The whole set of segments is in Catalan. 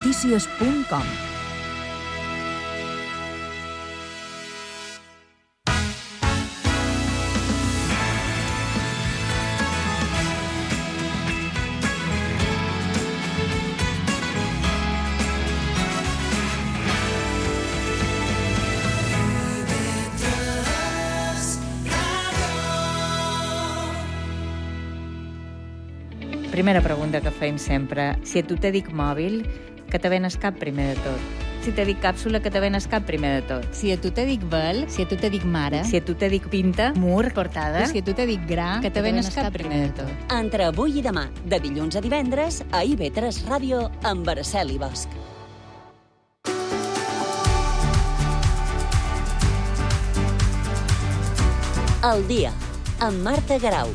radionotícies.com. Primera pregunta que fem sempre. Si a tu te dic mòbil, que te venes cap primer de tot? Si te dic càpsula, que te venes cap primer de tot? Si a tu te dic vel, si a tu te dic mare, Si a tu te dic pinta, mur, portada, si a tu te dic gra, que te venes cap primer de tot? Entre avui i demà, de dilluns a divendres, a IB3 Ràdio, amb Araceli Bosch. El dia, amb Marta Garau.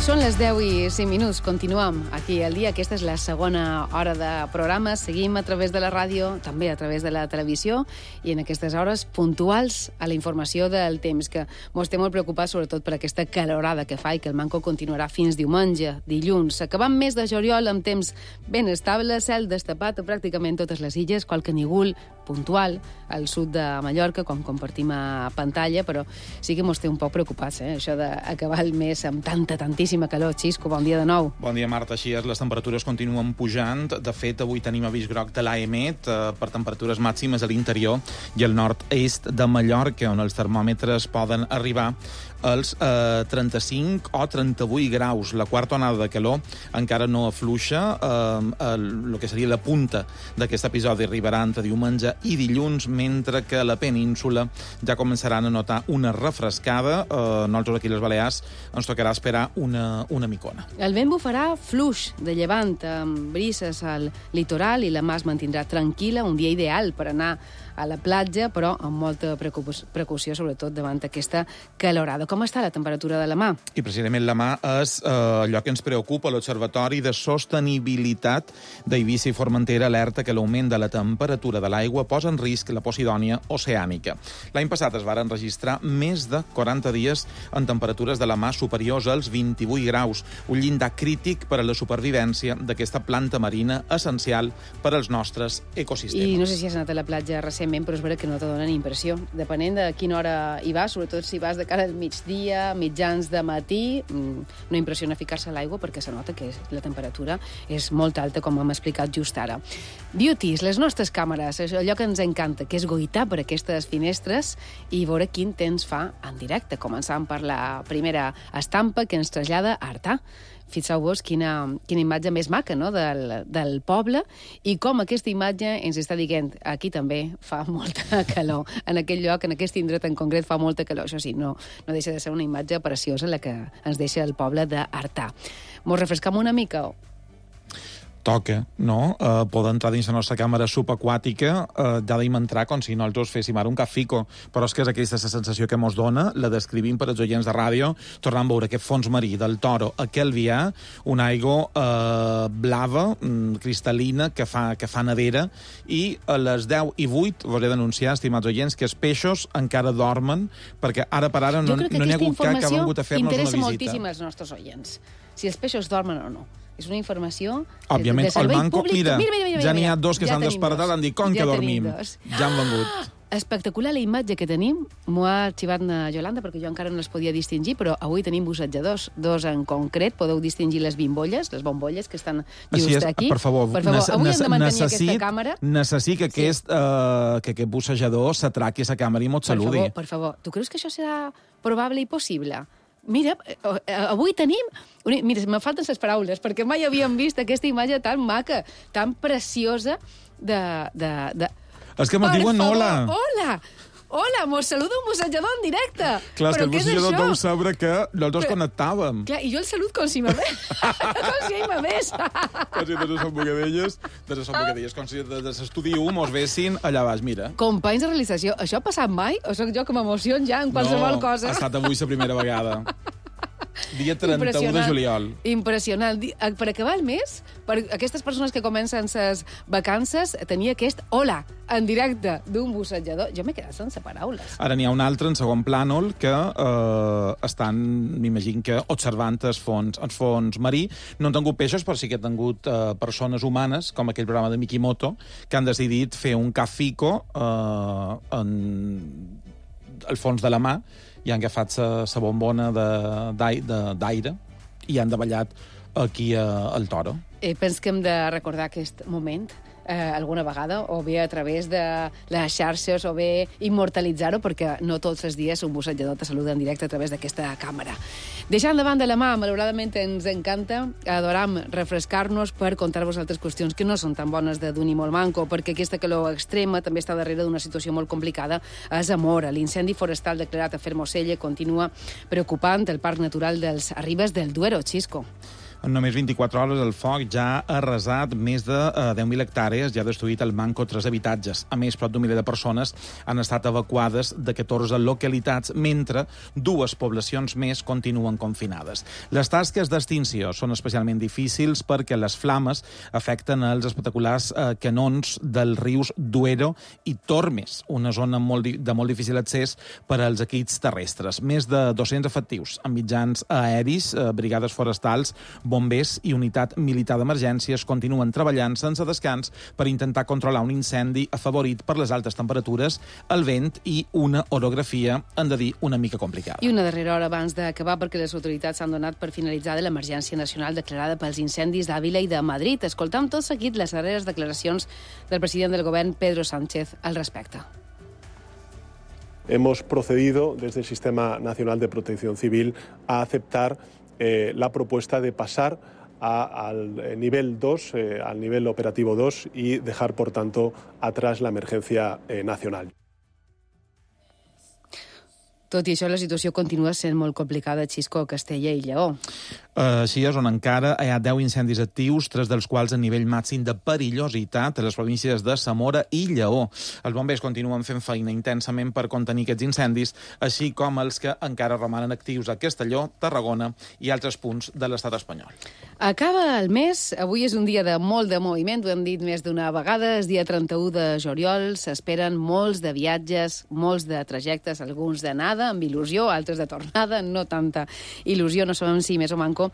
Són les 10 i 5 minuts. Continuem aquí al dia. Aquesta és la segona hora de programa. Seguim a través de la ràdio, també a través de la televisió, i en aquestes hores puntuals a la informació del temps, que mos té molt preocupats sobretot per aquesta calorada que fa i que el manco continuarà fins diumenge, dilluns. Acabant mes de juliol amb temps ben estable, cel destapat a pràcticament totes les illes, qualque nígol puntual al sud de Mallorca, com compartim a pantalla, però sí que mos té un poc preocupats, això d'acabar el mes amb tantíssima calor. Xisco, bon dia de nou. Bon dia, Marta. Així és, les temperatures continuen pujant. De fet, avui tenim avís groc de l'AEMET per temperatures màximes a l'interior i al nord-est de Mallorca, on els termòmetres poden arribar als 35 o 38 graus. La quarta onada de calor encara no afluixa. El que seria la punta d'aquest episodi arribarà entre diumenge i dilluns, mentre que a la península ja començaran a notar una refrescada. Nosaltres aquí a les Balears ens tocarà esperar una micona. El vent bufarà fluix de llevant, amb brises al litoral, i la mar es mantindrà tranquil·la, un dia ideal per anar a la platja, però amb molta precaució, sobretot davant aquesta calorada. Com està la temperatura de la mà? I precisament la mà és allò que ens preocupa. L'Observatori de Sostenibilitat d'Eivissa i Formentera alerta que l'augment de la temperatura de l'aigua posa en risc la Posidònia oceànica. L'any passat es varen registrar més de 40 dies en temperatures de la mà superiors als 28 graus, un llindar crític per a la supervivència d'aquesta planta marina essencial per als nostres ecosistemes. I no sé si has anat a la platja recentment, però és vera que no te donen impressió. Depenent de quina hora hi vas, sobretot si vas de cara al migdia, mitjans de matí, no impressiona ficar-se a l'aigua perquè se nota que la temperatura és molt alta, com hem explicat just ara. Beauties, les nostres càmeres, és allò que ens encanta, que és goitar per aquestes finestres i veure quin temps fa en directe. Començant per la primera estampa que ens trasllada a Artà. Fixeu-vos quina imatge més maca, no?, del poble, i com aquesta imatge ens està dient aquí també fa molta calor. En aquell lloc, en aquest indret en concret, fa molta calor. Això sí, no deixa de ser una imatge preciosa la que ens deixa el poble d'Artà. Mos refrescam una mica? Toca, no? Poder entrar dins la nostra càmera subaquàtica, ja d'im entrar com si nosaltres féssim ara un cafico, però és que és aquesta la sensació que mos dona, la descrivim per als oients de ràdio, tornant a veure aquest fons marí del Toro a Calvià, una aigua blava, cristal·lina, que fa nevera, i a les 10:08 volia denunciar, estimats oients, que els peixos encara dormen, perquè ara per ara no n'hi ha hagut cap que ha vingut a fer-nos una visita. Interessa moltíssim als nostres oients, si els peixos dormen o no. És una informació òbviament, de servei manco, públic. Mira, ja n'hi ha dos que ja s'han despertat i han dit, com que dormim? Ja han vengut. Espectacular la imatge que tenim. M'ho ha arxivat na Yolanda, perquè jo encara no les podia distingir, però avui tenim bussejadors, dos en concret. Podeu distingir les bombolles que estan just aquí. Per favor, avui hem de mantenir aquesta càmera. Necessito que aquest bussejador s'atraqui a la càmera i mos saludi. Per favor. Tu creus que això serà probable i possible? Mira, avui tenim... Mira, me falten les paraules, perquè mai havíem vist aquesta imatge tan maca, tan preciosa de... És que me diuen hola. Hola! Hola, mos saluda un bussejador en directe. Clar, és que el bussejador deu saber que nosaltres Però- connectàvem. Clar, i jo el salut com si m'hagués. Com si ell m'hagués. Com si tots són bocadelles, com si de l'estudi 1 mos vessin allà baix, mira. Companys de realització, això ha passat mai? O sóc jo que m'emocion ja en qualsevol cosa? Ha estat avui la primera vegada. Dia 31 de juliol. Impressionant. Per acabar el mes, per aquestes persones que comencen les vacances, tenia aquest hola en directe d'un bussejador. Jo m'he quedat sense paraules. Ara n'hi ha un altre en segon plànol que estan, m'imagino que, observant el fons marí. No han tingut peixos, però sí que han tingut persones humanes, com aquell programa de Mikimoto, que han decidit fer un cafico en el fons de la mà i han agafat la bombona d'aire i han davallat aquí al Toro. Penso que hem de recordar aquest moment alguna vegada, o bé a través de les xarxes, o bé immortalitzar-ho, perquè no tots els dies un bussejador te saluda en directe a través d'aquesta càmera. Deixant davant de la mà, malauradament ens encanta, adoram refrescar-nos per contar-vos altres qüestions que no són tan bones de d'un i molt manco, perquè aquesta calor extrema també està darrere d'una situació molt complicada a Zamora. L'incendi forestal declarat a Fermoselle continua preocupant el Parc Natural dels Arribes del Duero. Xisco. En només 24 hores el foc ja ha arrasat més de 10.000 hectàrees i ha destruït al manco 3 habitatges. A més, prop d'un miler de persones han estat evacuades de 14 localitats, mentre 2 poblacions més continuen confinades. Les tasques d'extinció són especialment difícils perquè les flames afecten els espectaculars canons dels rius Duero i Tormes, una zona de molt difícil accés per als equips terrestres. Més de 200 efectius amb mitjans aeris, brigades forestals, bombers i unitat militar d'emergències continuen treballant sense descans per intentar controlar un incendi afavorit per les altes temperatures, el vent i una orografia, hem de dir, una mica complicada. I una darrera hora abans d'acabar, perquè les autoritats s'han donat per finalitzada l'emergència nacional declarada pels incendis d'Àvila i de Madrid. Escoltam tot seguit les darreres declaracions del president del govern, Pedro Sánchez, al respecte. Hemos procedido desde el Sistema Nacional de Protección Civil a aceptar la propuesta de pasar al nivel 2, al nivel operativo 2 y dejar, por tanto, atrás la emergencia nacional. Tot i això, la situació continua sent molt complicada a Xisco, Castella i Lleó. Així és, on encara hi ha 10 incendis actius, 3 dels quals a nivell màxim de perillositat a les províncies de Zamora i Lleó. Els bombers continuen fent feina intensament per contenir aquests incendis, així com els que encara romanen actius a Castelló, Tarragona i altres punts de l'estat espanyol. Acaba el mes, avui és un dia de molt de moviment, ho hem dit més d'una vegada, és dia 31 de juliol, s'esperen molts de viatges, molts de trajectes, alguns d'anada, amb il·lusió, altres de tornada, no tanta il·lusió, no sabem si més o manco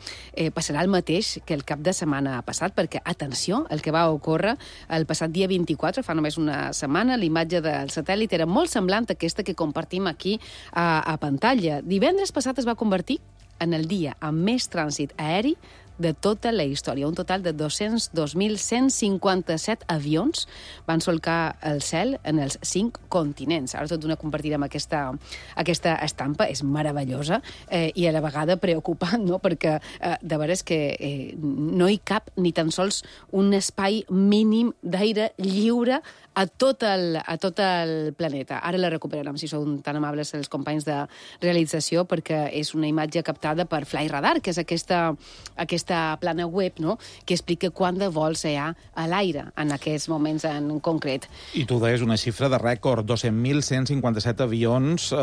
passarà el mateix que el cap de setmana passat, perquè, atenció, el que va ocórrer el passat dia 24, fa només una setmana, l'imatge del satèl·lit era molt semblant a aquesta que compartim aquí a pantalla. Divendres passat es va convertir en el dia amb més trànsit aeri de tota la història. Un total de 202.157 avions van solcar el cel en els 5 continents. Ara tot d'una compartir amb aquesta estampa és meravellosa i a la vegada preocupant, no? Perquè de veres que no hi cap ni tan sols un espai mínim d'aire lliure a tot el planeta. Ara la recuperarem, si sou tan amables els companys de realització, perquè és una imatge captada per Flyradar, que és aquesta plana web, no?, que explica quant de vols hi ha a l'aire en aquests moments en concret. I tu deies una xifra de rècord, 200.157 avions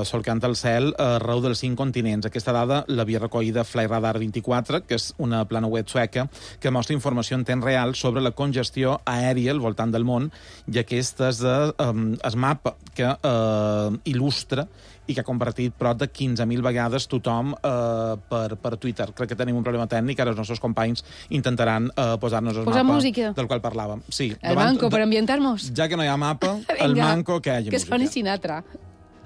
solcant el cel arreu dels 5 continents. Aquesta dada l'havia recollida Flyradar 24, que és una plana web sueca que mostra informació en temps real sobre la congestió aèria al voltant del món, i aquest és el mapa que il·lustra i que ha compartit prop de 15.000 vegades tothom per Twitter. Crec que tenim un problema tècnic, ara els nostres companys intentaran posar-nos el mapa música del qual parlàvem. Sí, el manco, per ambientar-nos. Ja que no hi ha mapa, el manco que hi hagi música. Que soni Sinatra.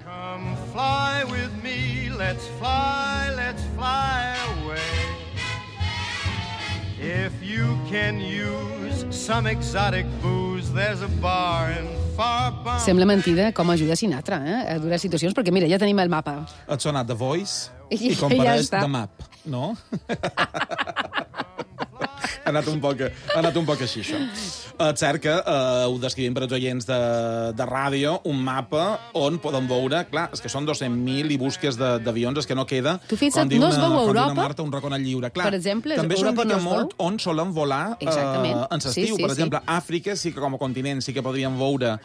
Come fly with me, let's fly away. If you can use some exotic booze, there's a bar in far Bombay. Sembla mentida com ajuda Sinatra a durar situacions, perquè mira, ja tenim el mapa. Et sonat The Voice i ja compareix està. The Map, no? Ha anat un poc així, això. És cert que ho descrivim per als oients de ràdio, un mapa on poden veure, clar, és que són 200.000 i busques d'avions, és que no queda... Tu fixa't, no es veu a Europa? Marta, un racó al lliure. Clar, per exemple, també s'ho indica molt on solen volar en l'estiu. Per exemple, Àfrica sí que com a continent sí que podríem veure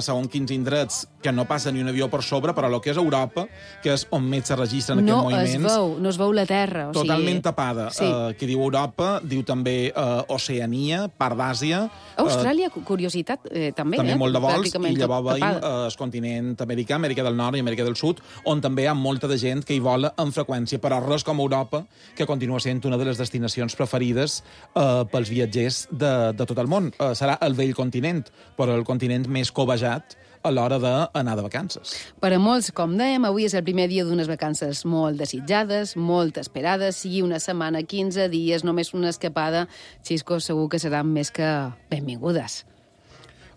segons quins indrets que no passa ni un avió per sobre, però el que és Europa, que és on més se registren aquests moviments... No es veu la terra. Totalment tapada. Que diu Europa, diu també Oceania, part d'Àsia... Austràlia, curiositat, també. També molt de vols, i llavors veiem el continent americà, Amèrica del Nord i Amèrica del Sud, on també hi ha molta de gent que hi vola amb freqüència, però res com Europa, que continua sent una de les destinacions preferides pels viatgers de tot el món. Serà el vell continent, però el continent més cobejat a l'hora d'anar de vacances. Per a molts, com dèiem, avui és el primer dia d'unes vacances molt desitjades, molt esperades, sigui una setmana, 15 dies, només una escapada, Xisco, segur que seran més que benvingudes.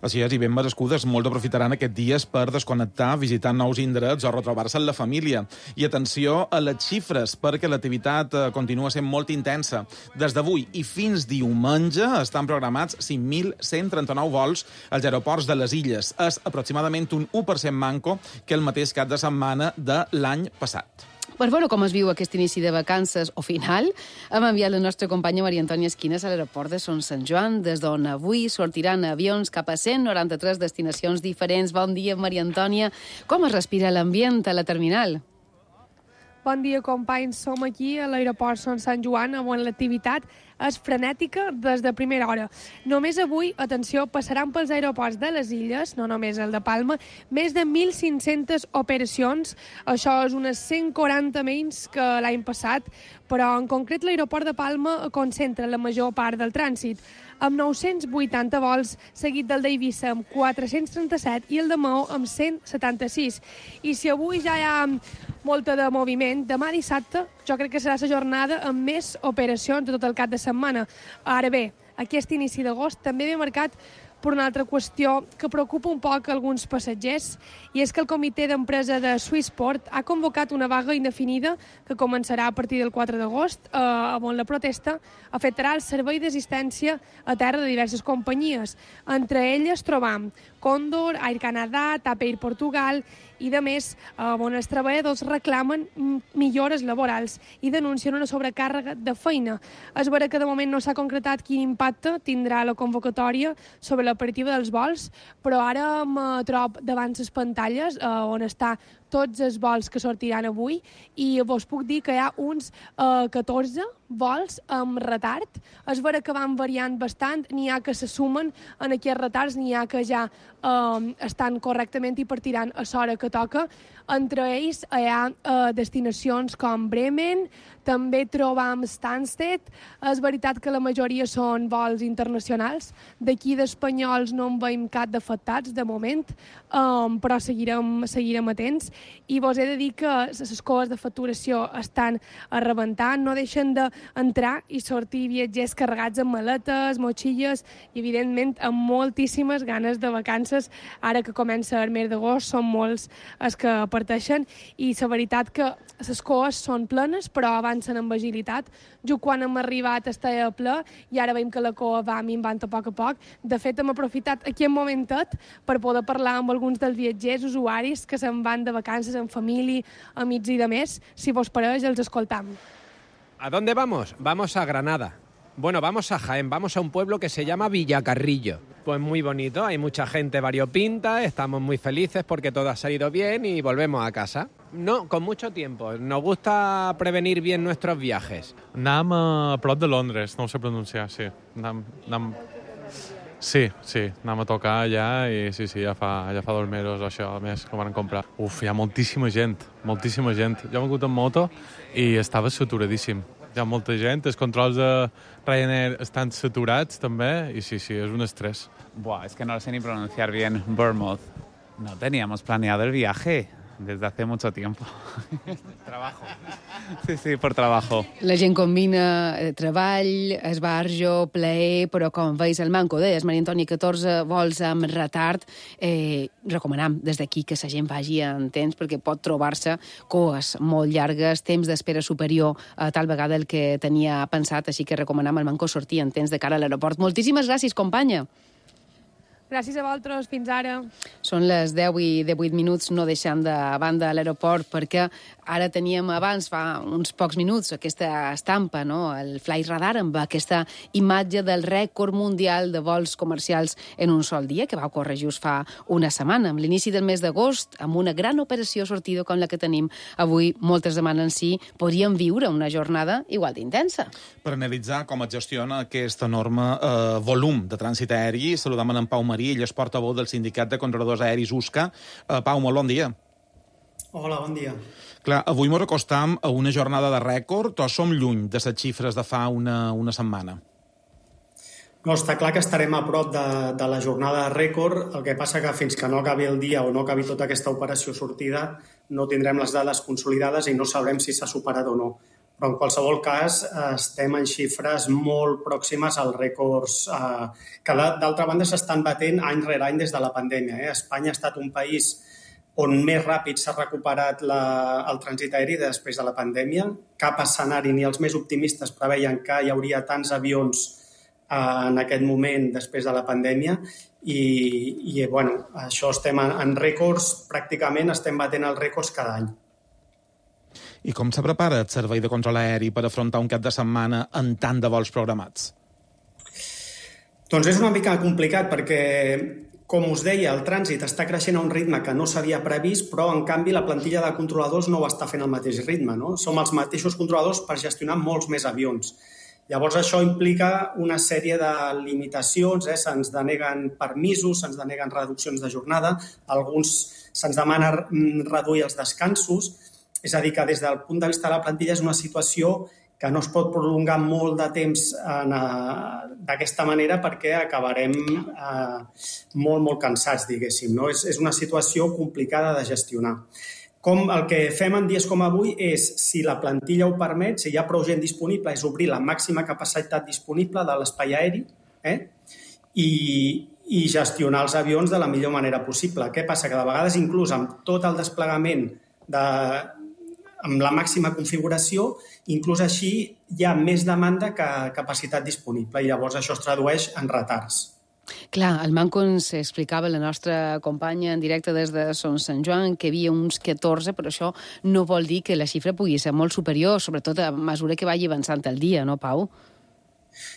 Així és, i ben merescudes. Molts aprofitaran aquests dies per desconnectar, visitar nous indrets o retrobar-se amb la família. I atenció a les xifres, perquè l'activitat continua sent molt intensa. Des d'avui i fins diumenge estan programats 5.139 vols als aeroports de les illes. És aproximadament un 1% manco que el mateix cap de setmana de l'any passat. Per veure com es viu aquest inici de vacances o final, hem enviat la nostra companya Maria Antònia Esquines a l'aeroport de Son Sant Joan, des d'on avui sortiran avions cap a 193 destinacions diferents. Bon dia, Maria Antònia. Com es respira l'ambient a la terminal? Bon dia, companys. Som aquí a l'aeroport Son Sant Joan, on l'activitat és frenètica des de primera hora. Només avui, atenció, passaran pels aeroports de les illes, no només el de Palma, més de 1.500 operacions. Això és unes 140 menys que l'any passat, però en concret l'aeroport de Palma concentra la major part del trànsit, amb 980 vols, seguit del d'Eivissa amb 437 i el de Maó amb 176. I si avui ja hi ha molta de moviment, demà dissabte jo crec que serà la jornada amb més operacions de tot el cap de setmana. Ara bé, aquest inici d'agost també ve marcat per una altra qüestió que preocupa un poc alguns passatgers, i és que el comitè d'empresa de Swissport ha convocat una vaga indefinida que començarà a partir del 4 d'agost, on la protesta afectarà el servei d'assistència a terra de diverses companyies. Entre elles trobam Condor, Air Canada, TAP Air Portugal, i de més, on els treballadors reclamen millores laborals i denuncien una sobrecàrrega de feina. És vera que de moment no s'ha concretat quin impacte tindrà la convocatòria sobre l'operativa dels vols, però ara em trobo davant les pantalles on està tots els vols que sortiran avui, i vos puc dir que hi ha uns 14 vols amb retard. És vera que van variant bastant, n'hi ha que se sumen en aquests retards, n'hi ha que ja estan correctament i partiran a l'hora que toca. Entre ells hi ha destinacions com Bremen, també trobam Stansted. És veritat que la majoria són vols internacionals. D'aquí d'espanyols no en veiem cap d'afectats de moment, però seguirem atents. I vos he de dir que les coves de facturació estan a rebentar, no deixen d'entrar i sortir viatgers carregats amb maletes, motxilles i, evidentment, amb moltíssimes ganes de vacances. Ara que comença el mes d'agost són molts els que parteixen, i la veritat que les coves són plenes, però avancen amb agilitat. Jo quan hem arribat estava ple i ara veiem que la cova va minvant a poc. De fet, hem aprofitat aquest momentet per poder parlar amb alguns dels viatgers usuaris que se'n van de vacances amb família, amics i de més. Si vos pareix, els escoltam. ¿A dónde vamos? Vamos a Granada. Bueno, vamos a Jaén, vamos a un pueblo que se llama Villacarrillo. Pues muy bonito, hay mucha gente variopinta, estamos muy felices porque todo ha salido bien y volvemos a casa. No, con mucho tiempo. Nos gusta prevenir bien nuestros viajes. Anàvem a prop de Londres, no ho sé pronunciar, sí. Sí, anàvem a tocar allà i sí, ja fa 2 mesos això, a més, que ho van comprar. Hi ha moltíssima gent. Jo he vingut en moto i estava saturadíssim. Hi ha molta gent, els controls de Ryanair estan saturats també i sí, és un estrés. Es que no lo sé ni pronunciar bien. Bournemouth. No teníamos planeado el viaje. desde hace mucho tiempo. Trabajo. Sí, por trabajo. La gent combina treball, esbarjo, plaer, però com veus el manco, deies, Maria Antònia, 14 vols amb retard. Recomanam des d'aquí que la gent vagi en temps perquè pot trobar-se coes molt llargues, temps d'espera superior a tal vegada el que tenia pensat, així que recomanam al manco sortir en temps de cara a l'aeroport. Moltíssimes gràcies, companya. Gràcies a vosaltres, fins ara. Són les 10 i 18 minuts, no deixant de banda l'aeroport, perquè ara teníem abans, fa uns pocs minuts, aquesta estampa, no? El Flight Radar, amb aquesta imatge del rècord mundial de vols comercials en un sol dia, que va ocórrer just fa una setmana, amb l'inici del mes d'agost, amb una gran operació sortida com la que tenim avui. Moltes demanen si podríem viure una jornada igual d'intensa. Per analitzar com es gestiona aquest enorme volum de trànsit aeri, saludam en Pau Marí, ell és portaveu del Sindicat de Controladors Aeris USCA. Pau, molt bon dia. Hola, bon dia. Clar, avui ens acostam a una jornada de rècord o som lluny de les xifres de fa una setmana? No, està clar que estarem a prop de la jornada de rècord. El que passa que fins que no acabi el dia o no acabi tota aquesta operació sortida no tindrem les dades consolidades i no sabrem si s'ha superat o no. Però en qualsevol cas estem en xifres molt pròximes als rècords que d'altra banda s'estan batent any rere any des de la pandèmia. Espanya ha estat un país on més ràpid s'ha recuperat el trànsit aeri després de la pandèmia. Cap escenari ni els més optimistes preveien que hi hauria tants avions en aquest moment després de la pandèmia i bueno, això estem en rècords, pràcticament estem batent els rècords cada any. I com se prepara el servei de control aeri per afrontar un cap de setmana amb tant de vols programats? Doncs és una mica complicat perquè, com us deia, el trànsit està creixent a un ritme que no s'havia previst, però en canvi la plantilla de controladors no ho està fent al mateix ritme, no? Som els mateixos controladors per gestionar molts més avions. Llavors això implica una sèrie de limitacions, se'ns deneguen permisos, se'ns deneguen reduccions de jornada, alguns se'ns demana reduir els descansos. És a dir, que des del punt de vista de la plantilla és una situació que no es pot prolongar molt de temps d'aquesta manera perquè acabarem molt cansats, diguéssim. No? És una situació complicada de gestionar. El que fem en dies com avui és, si la plantilla ho permet, si hi ha prou gent disponible, és obrir la màxima capacitat disponible de l'espai aeri i gestionar els avions de la millor manera possible. Què passa? Que de vegades, inclús amb tot el desplegament amb la màxima configuració, inclús així hi ha més demanda que capacitat disponible i llavors això es tradueix en retards. Clar, el manco ens explicava la nostra companya en directe des de Son Sant Joan que hi havia uns 14, però això no vol dir que la xifra pugui ser molt superior, sobretot a mesura que vagi avançant el dia, no, Pau?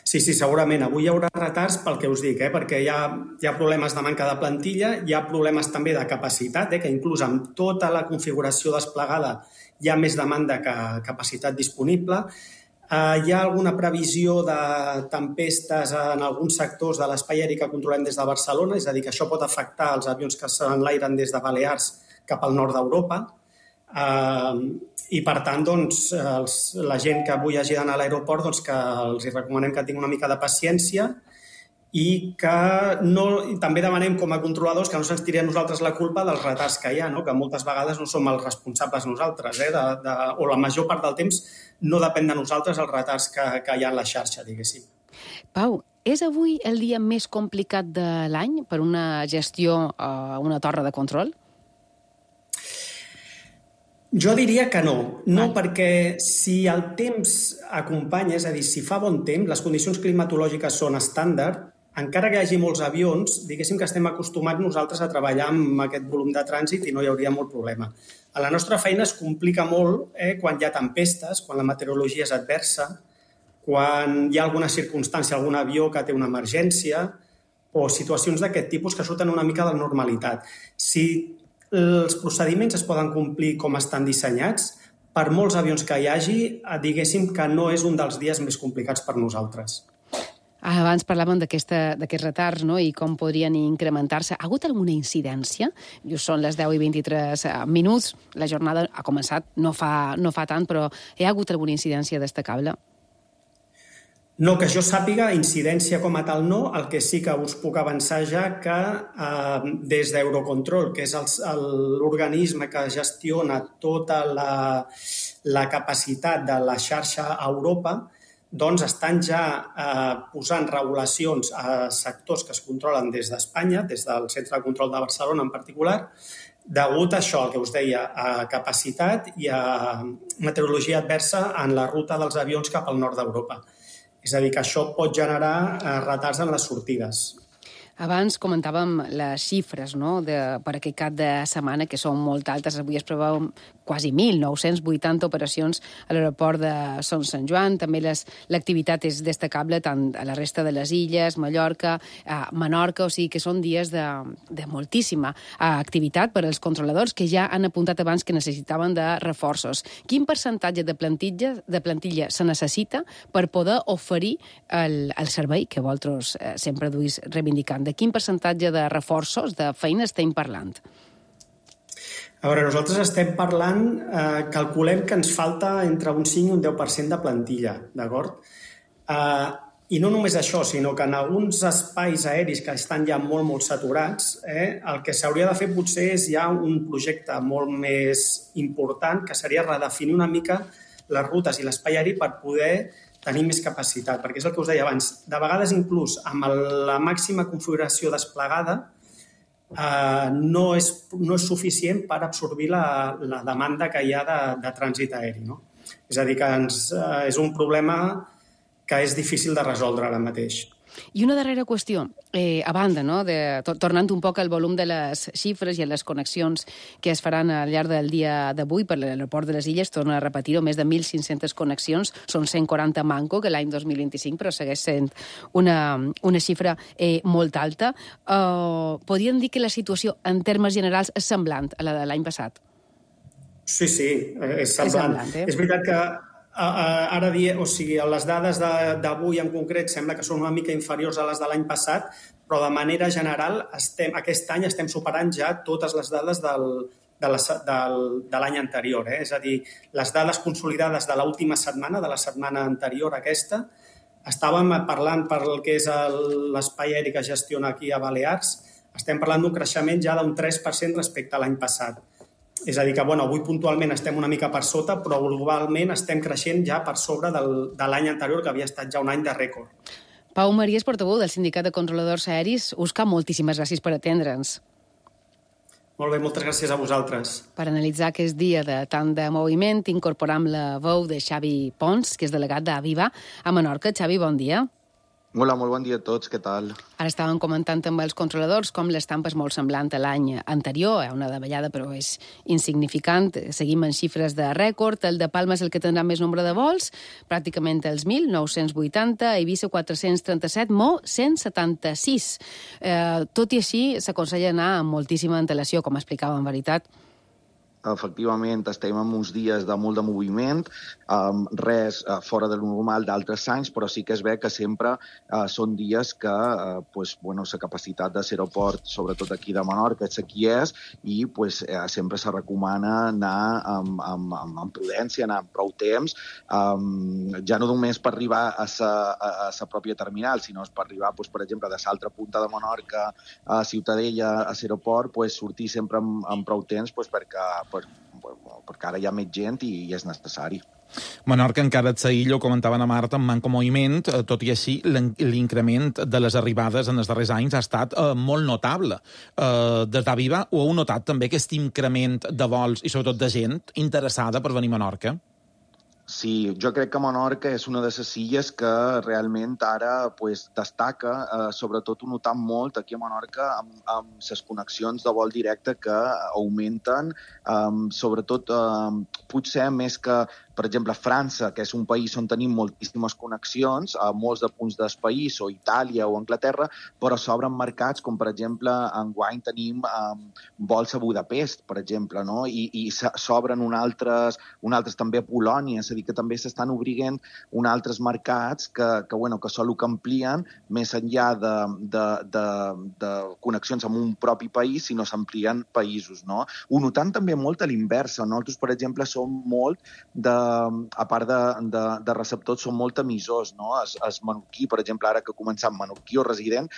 Sí, segurament. Avui hi haurà retards pel que us dic, perquè hi ha problemes de manca de plantilla, hi ha problemes també de capacitat, que inclús amb tota la configuració desplegada hi ha més demanda que capacitat disponible. Hi ha alguna previsió de tempestes en alguns sectors de l'espai aeri que controlem des de Barcelona, és a dir, que això pot afectar els avions que s'enlairen des de Balears cap al nord d'Europa. I, per tant, doncs, la gent que avui hagi d'anar a l'aeroport, doncs, que els recomanem que tinguin una mica de paciència i que també demanem com a controladors que no se'ns tiri a nosaltres la culpa dels retards que hi ha, que moltes vegades no som els responsables nosaltres, o la major part del temps no depèn de nosaltres els retards que hi ha en la xarxa, diguéssim. Pau, és avui el dia més complicat de l'any per una gestió a una torre de control? Jo diria que no. No, perquè si el temps acompanya, és a dir, si fa bon temps, les condicions climatològiques són estàndard, encara que hi hagi molts avions, diguéssim que estem acostumats nosaltres a treballar amb aquest volum de trànsit i no hi hauria molt problema. A la nostra feina es complica molt quan hi ha tempestes, quan la meteorologia és adversa, quan hi ha alguna circumstància, algun avió que té una emergència o situacions d'aquest tipus que surten una mica de la normalitat. Si els procediments es poden complir com estan dissenyats, per molts avions que hi hagi, diguéssim que no és un dels dies més complicats per nosaltres. Abans parlàvem d'aquests retards, no?, i com podrien incrementar-se. Ha hagut alguna incidència? Just són les 10 i 23 minuts. La jornada ha començat, no fa tant, però hi ha hagut alguna incidència destacable? No, que jo sàpiga, incidència com a tal no, el que sí que us puc avançar ja que des d'Eurocontrol, que és l'organisme que gestiona tota la capacitat de la xarxa a Europa, doncs estan ja posant regulacions a sectors que es controlen des d'Espanya, des del Centre de Control de Barcelona en particular, degut a això, el que us deia, a capacitat i a meteorologia adversa en la ruta dels avions cap al nord d'Europa. És a dir, que això pot generar retards en les sortides. Abans comentàvem les xifres, no?, per aquest cap de setmana, que són molt altes. Avui es preveuen quasi 1.980 operacions a l'aeroport de Son Sant Joan. També l'activitat és destacable tant a la resta de les illes, Mallorca, Menorca, o sigui que són dies de moltíssima activitat per als controladors que ja han apuntat abans que necessitaven de reforços. Quin percentatge de plantilla se necessita per poder oferir el servei que vosaltres sempre duis reivindicant? De quin percentatge de reforços, de feina estem parlant? A veure, nosaltres estem parlant, calculem que ens falta entre un 5 i un 10% de plantilla, d'acord? I no només això, sinó que en alguns espais aeris que estan ja molt saturats, el que s'hauria de fer potser és ja un projecte molt més important, que seria redefinir una mica les rutes i l'espai aeri per poder tenir més capacitat, perquè és el que us deia abans. De vegades, inclús, amb la màxima configuració desplegada, no és suficient per absorbir la demanda que hi ha de trànsit aeri, no? És a dir, que és un problema que és difícil de resoldre ara mateix. I una darrera qüestió, a banda, no, tornant un poc al volum de les xifres i a les connexions que es faran al llarg del dia d'avui per l'aeroport de les Illes, torno a repetir-ho, més de 1.500 connexions, són 140 manco que l'any 2025, però segueix sent una xifra molt alta. Podríem dir que la situació, en termes generals, és semblant a la de l'any passat? Sí, és semblant. És veritat que ara les dades d'avui en concret sembla que són una mica inferiors a les de l'any passat, però de manera general aquest any estem superant ja totes les dades de l'any anterior. És a dir, les dades consolidades de l'última setmana, de la setmana anterior a aquesta, estàvem parlant per el que és l'espai aeri que gestiona aquí a Balears, estem parlant d'un creixement ja d'un 3% respecte a l'any passat. És a dir que, avui puntualment estem una mica per sota, però globalment estem creixent ja per sobre de l'any anterior, que havia estat ja un any de rècord. Pau Maries, portaveu del Sindicat de Controladors Aeris, Òscar, moltíssimes gràcies per atendre'ns. Molt bé, moltes gràcies a vosaltres. Per analitzar aquest dia de tant de moviment, incorporam la veu de Xavi Pons, que és delegat d'Aviva a Menorca. Xavi, bon dia. Hola, molt bon dia a tots, què tal? Ara estàvem comentant amb els controladors com l'estampa és molt semblant a l'any anterior, una davallada però és insignificant, seguim en xifres de rècord, el de Palma és el que tindrà més nombre de vols, pràcticament els 1.980, Eivissa 437, Mo 176. Tot i així s'aconsella anar amb moltíssima antelació, com explicava en veritat. Efectivament, estem en uns dies de molt de moviment, res fora de lo normal d'altres anys, però sí que es ve que sempre són dies que la capacitat de l'aeroport, sobretot aquí de Menorca, és qui és, i sempre se recomana anar amb prudència, anar amb prou temps, ja no només per arribar a la pròpia terminal, sinó per arribar, per exemple, de l'altra punta de Menorca a Ciutadella, a l'aeroport, sortir sempre amb prou temps perquè ara hi ha més gent i és necessari. Menorca encara et s'aïlla, ho comentaven a Marta, amb manco moviment, tot i així l'increment de les arribades en els darrers anys ha estat molt notable. Des d'Aviva ho heu notat també, aquest increment de vols i sobretot de gent interessada per venir a Menorca? Sí, jo crec que Menorca és una de les illes que realment ara destaca, sobretot ho notam molt aquí a Menorca amb les connexions de vol directe que augmenten, sobretot potser més que, per exemple, França, que és un país on tenim moltíssimes connexions, a molts de punts del país, o Itàlia o Anglaterra, però s'obren mercats com, per exemple, enguany tenim vols a Budapest, per exemple, no? I s'obren un altres també a Polònia. És a dir, que també s'estan obrint uns altres mercats que solo que amplien més enllà de connexions amb un propi país, sinó s'amplien països, no? Ho notant també molt a l'inversa. Nosaltres, per exemple, som molt, a part de receptors, som molt emissors, no? Es menorquí, per exemple, ara que ha començat menorquí o resident,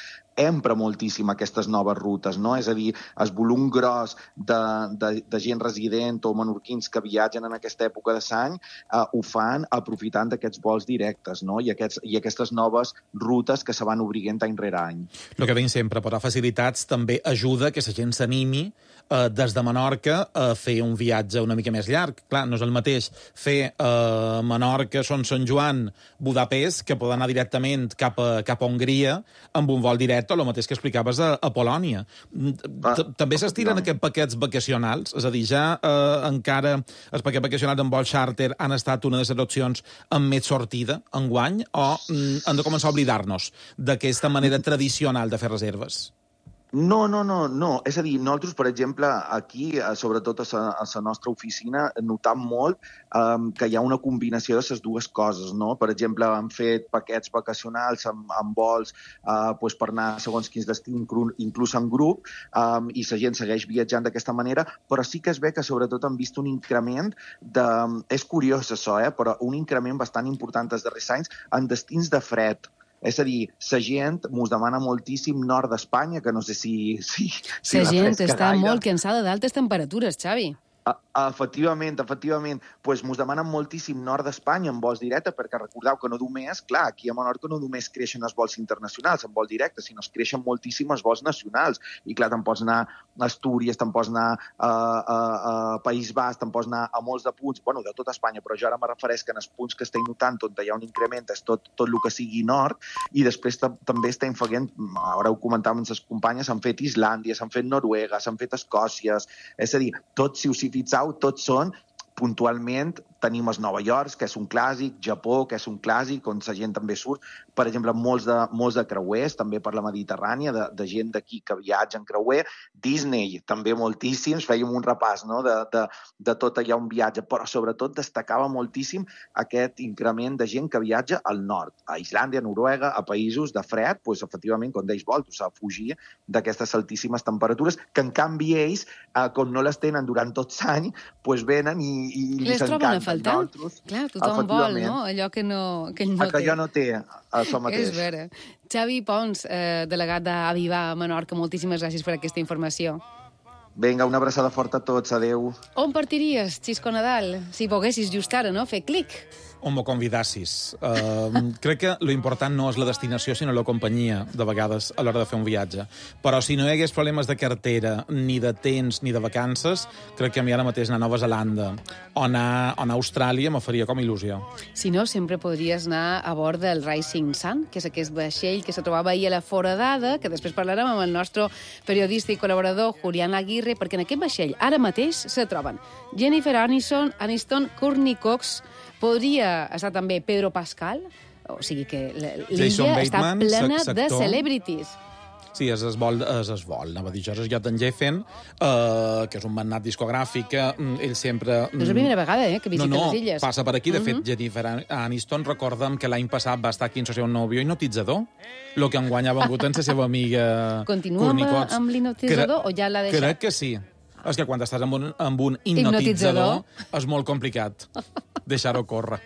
empra moltíssim aquestes noves rutes, no? És a dir, el volum gros de gent resident o menorquins que viatgen en aquesta època de l'any ho fan aprofitant d'aquests vols directes, no? I aquestes noves rutes que se van obrint any rere any. El que deim sempre, posar facilitats també ajuda que la gent s'animi des de Menorca a fer un viatge una mica més llarg. Clar, no és el mateix fer Menorca, Son Sant Joan, Budapest, que poden anar directament cap a Hongria amb un vol directe, o el mateix que explicaves a Polònia. També s'estilen aquests paquets vacacionals? És a dir, ja encara els paquets vacacionals amb vol charter han estat una de les opcions amb més sortida enguany, o hem de començar a oblidar-nos d'aquesta manera tradicional de fer reserves? No. És a dir, nosaltres, per exemple, aquí, sobretot a la nostra oficina, notam molt que hi ha una combinació de les dues coses, no? Per exemple, hem fet paquets vacacionals amb vols per anar a segons quins destins, inclús en grup, i la gent segueix viatjant d'aquesta manera, però sí que es ve que sobretot han vist un increment és curiós això, però un increment bastant important els darrers anys en destins de fred. És a dir, la gent mos demana moltíssim nord d'Espanya, que no sé si la gent està molt cansada d'altes temperatures, Xavi. Efectivament, pues mos demanen moltíssim nord d'Espanya en vols directes, perquè recordeu que no només, clar, aquí a Menorca no només creixen els vols internacionals en vol directe, sinó que creixen moltíssim els vols nacionals. I clar, te'n pots anar a Astúries, te'n pots anar a País Basc, te'n pots anar a molts de punts, bueno, de tota Espanya, però jo ara me refereix que en els punts que estem notant on hi ha un increment és tot el que sigui nord, i després també estem fent, ara ho comentàvem amb les companyes, s'han fet Islàndia, s'han fet Noruega, s'han fet Escòcia, és a dir, tots, si us hi fixeu, tots són puntualment. Tenim els Nova York, que és un clàssic, Japó, que és un clàssic, on la gent també surt. Per exemple, molts de creuers, també per la Mediterrània, de gent d'aquí que viatja en creuer. Disney, també moltíssims, fèiem un repàs, no?, de tot allà on viatja, però sobretot destacava moltíssim aquest increment de gent que viatja al nord, a Islàndia, a Noruega, a països de fred, doncs, efectivament, com deies, vol, s'ha de fugir d'aquestes altíssimes temperatures, que en canvi ells, com no les tenen durant tot l'any, doncs venen i les troben a faltar. Clar, tothom vol, no? Allò que ell no té. Que jo no té, això mateix. És vera. Xavi Pons, delegat d'Aviva a Menorca, moltíssimes gràcies per aquesta informació. Vinga, una abraçada forta a tots, adeu. On partiries, Xisco Nadal, si poguessis just ara, no?, fer clic? On m'ho convidassis. Crec que l'important no és la destinació, sinó la companyia, de vegades, a l'hora de fer un viatge. Però si no hi hagués problemes de cartera, ni de temps, ni de vacances, crec que a mi ara mateix anar a Nova Zelanda o anar a Austràlia me faria com il·lusió. Si no, sempre podries anar a bord del Rising Sun, que és aquest vaixell que se trobava ahir a la Foradada, que després parlarem amb el nostre periodista i col·laborador Julián Aguirre, perquè en aquest vaixell ara mateix se troben Jennifer Aniston, Courtney Cox, podria estar també Pedro Pascal, o sigui que l'illa està plena de celebrities. Sí, és el vol, anava a dir jo, és Jotten Geffen, que és un magnat discogràfic, que ell sempre... No és la primera vegada que visita les illes. No, passa per aquí. De fet, Jennifer Aniston, recorda'm que l'any passat va estar aquí en el seu nòvio hipnotitzador, el que enguany ha vengut en la seva amiga Continua amb l'hipnotitzador o ja l'ha deixat? Crec que sí. És que quan estàs amb un hipnotitzador és molt complicat deixar-ho córrer.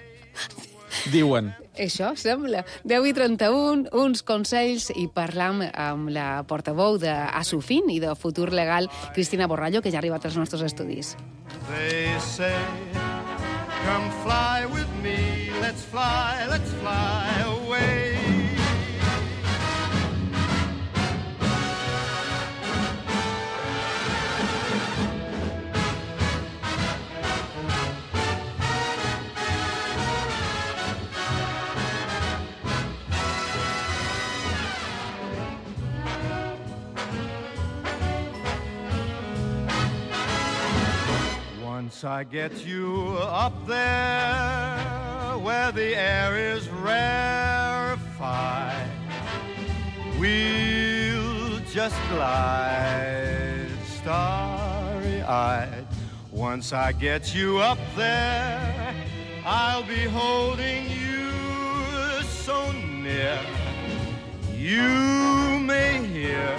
Diuen. Això sembla. 10:31, uns consells, i parlam amb la portaveu d'Asufin i de Futur Legal, Cristina Borrallo, que ja ha arribat als nostres estudis. They say, come fly with me, let's fly away. Once I get you up there where the air is rarefied, we'll just glide starry-eyed. Once I get you up there, I'll be holding you so near. You may hear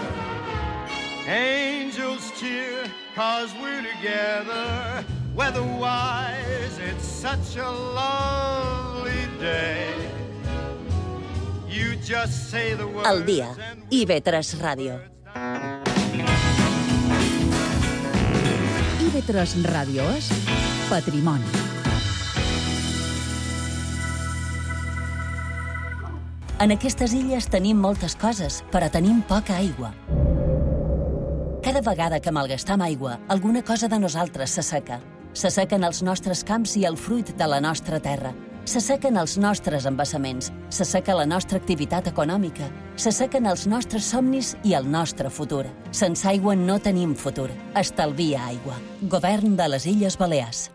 angels cheer, 'cause we're together. Weather-wise, it's such a lovely day. You just say the words. El dia. IB3 Ràdio. IB3 Ràdio és patrimoni. En aquestes illes tenim moltes coses, però tenim poca aigua. Cada vegada que malgastam aigua, alguna cosa de nosaltres s'asseca. S'assequen els nostres camps i el fruit de la nostra terra. S'assequen els nostres embassaments, s'asseca la nostra activitat econòmica, s'assequen els nostres somnis i el nostre futur. Sense aigua no tenim futur. Estalvia aigua. Govern de les Illes Balears.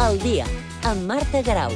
El dia, amb Marta Garau.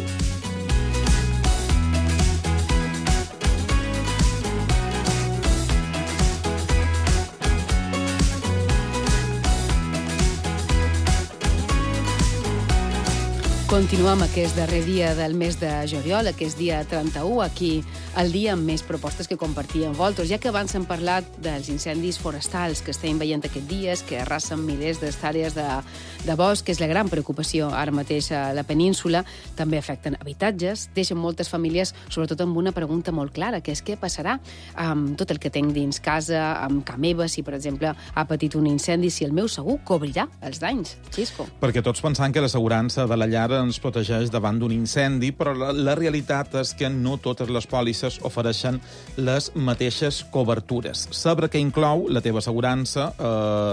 Continuem aquest darrer dia del mes de juliol, aquest dia 31, aquí el dia amb més propostes que compartir amb vosaltres, ja que abans hem parlat dels incendis forestals que estem veient aquests dies, que arrasen milers d'hectàrees de bosc, que és la gran preocupació ara mateix a la península, també afecten habitatges, deixen moltes famílies, sobretot amb una pregunta molt clara, que és què passarà amb tot el que tinc dins casa, amb ca meva, si per exemple ha patit un incendi, si el meu segur cobrirà els danys. Xisco. Perquè tots pensant que l'assegurança de la llar ens protegeix davant d'un incendi, però la realitat és que no totes les pòlisses ofereixen les mateixes cobertures. Saber què inclou la teva assegurança,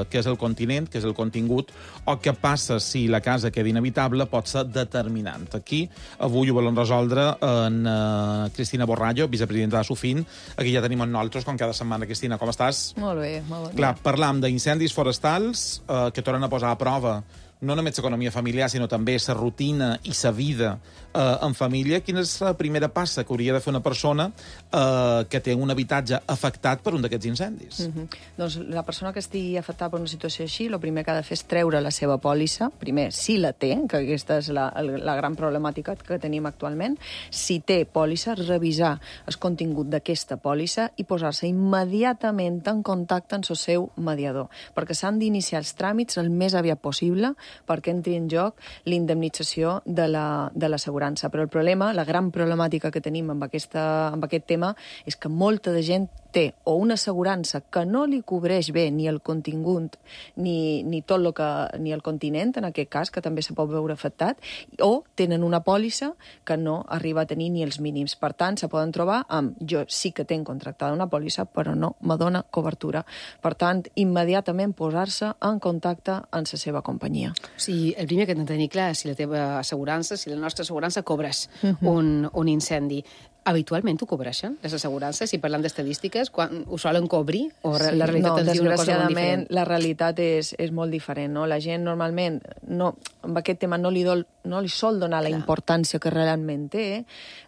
què és el continent, què és el contingut, o què passa si la casa queda inhabitable pot ser determinant. Aquí, avui ho volem resoldre en Cristina Borrallo, vicepresidenta de Sofin. Aquí ja tenim en nosaltres, com cada setmana. Cristina, com estàs? Molt bé, molt bé. Clar, parlam d'incendis forestals que tornen a posar a prova no només l'economia familiar, sinó també la rutina i la vida en família. Quina és la primera passa que hauria de fer una persona que té un habitatge afectat per un d'aquests incendis? Doncs la persona que estigui afectada per una situació així, el primer que ha de fer és treure la seva pòlissa, primer, si la té, que aquesta és la gran problemàtica que tenim actualment, si té pòlissa, revisar el contingut d'aquesta pòlissa i posar-se immediatament en contacte amb el seu mediador, perquè s'han d'iniciar els tràmits el més aviat possible perquè entri en joc l'indemnització de l'assegurança. Però el problema, la gran problemàtica que tenim amb aquest tema és que molta de gent té o una assegurança que no li cobreix bé ni el contingut ni tot ni el continent, en aquest cas, que també se pot veure afectat, o tenen una pòlissa que no arriba a tenir ni els mínims. Per tant, se poden trobar amb jo sí que tinc contractada una pòlissa, però no me dona cobertura. Per tant, immediatament posar-se en contacte amb la seva companyia. O sigui, el primer que hem de tenir clar és si la teva assegurança, si la nostra assegurança cobreix un incendi. Habitualment ho cobreixen, les assegurances? Si parlem d'estadístiques, quan ho solen cobrir? O la realitat ens diu una cosa molt diferent? La realitat és molt diferent. No? La gent normalment, amb aquest tema no li sol donar la importància que realment té.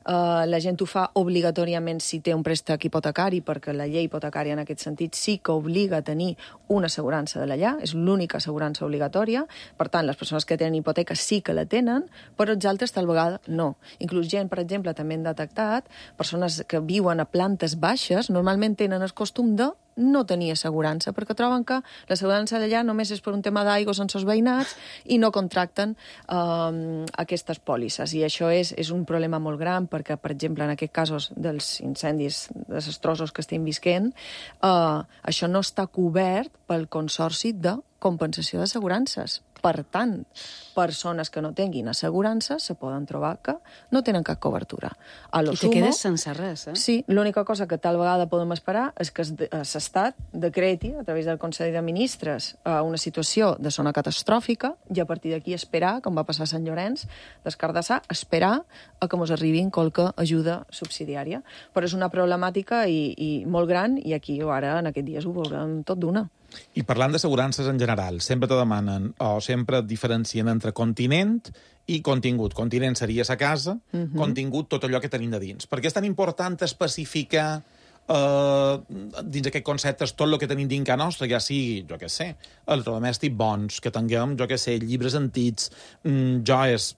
La gent ho fa obligatòriament si té un préstec hipotecari, perquè la llei hipotecària en aquest sentit sí que obliga a tenir una assegurança de la llar, és l'única assegurança obligatòria. Per tant, les persones que tenen hipoteca sí que la tenen, però els altres tal vegada no. Inclús gent, per exemple, també hem detectat persones que viuen a plantes baixes normalment tenen el costum de no tenir assegurança, perquè troben que l'assegurança d'allà només és per un tema d'aigua sense els veïnats i no contracten aquestes pòlisses. I això és un problema molt gran perquè, per exemple, en aquests casos dels incendis desastrosos que estem visquent, això no està cobert pel Consorci de Compensació d'Assegurances. Per tant, persones que no tinguin assegurança se poden trobar que no tenen cap cobertura. I te quedes sense res, eh? Sí, l'única cosa que tal vegada podem esperar és que se l'Estat decreti, a través del Consell de Ministres, una situació de zona catastròfica i a partir d'aquí esperar, com va passar a Sant Llorenç d'Escardassar, esperar a que ens arribin qualque ajuda subsidiària. Però és una problemàtica i molt gran i aquí ara, en aquests dies, ho veurem tot d'una. I parlant d'assegurances en general, sempre te demanen o sempre et diferencien entre continent i contingut. Continent seria sa casa, contingut tot allò que tenim de dins. Per què és tan important especificar dins aquest concepte tot el que tenim dins casa nostra, ja sigui, jo què sé, electrodomèstics bons, que tinguem, jo què sé, llibres antics, joies,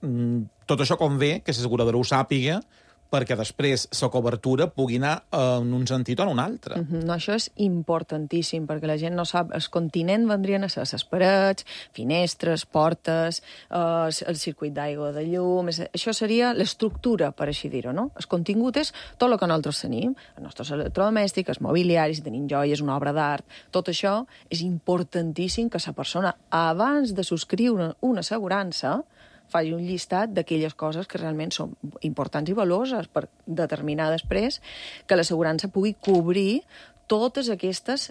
tot això convé que l'asseguradora ho sàpiga perquè després la cobertura pugui anar en un sentit o en un altre. No, això és importantíssim, perquè la gent no sap. El continent vendrien a ser les parets, finestres, portes, el circuit d'aigua, de llum... Això seria l'estructura, per així dir-ho, no? El contingut és tot el que nosaltres tenim, els nostres electrodomèstics, els mobiliaris, si tenim joies, una obra d'art... Tot això és importantíssim que la persona, abans de subscriure una assegurança, faci un llistat d'aquelles coses que realment són importants i valuoses per determinar després que l'assegurança pugui cobrir totes aquestes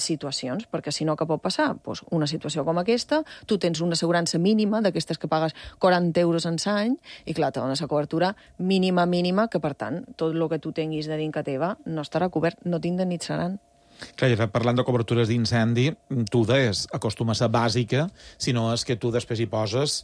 situacions, perquè si no, què pot passar? Pues una situació com aquesta, tu tens una assegurança mínima d'aquestes que pagues 40 euros en l'any i, clar, te dona la cobertura mínima, que, per tant, tot el que tu tinguis de dins que teva no estarà cobert, no t'indemnitzaran. Clar, parlant de cobertures d'incendi, tu deies, acostuma a ser bàsica, si no és que tu després hi poses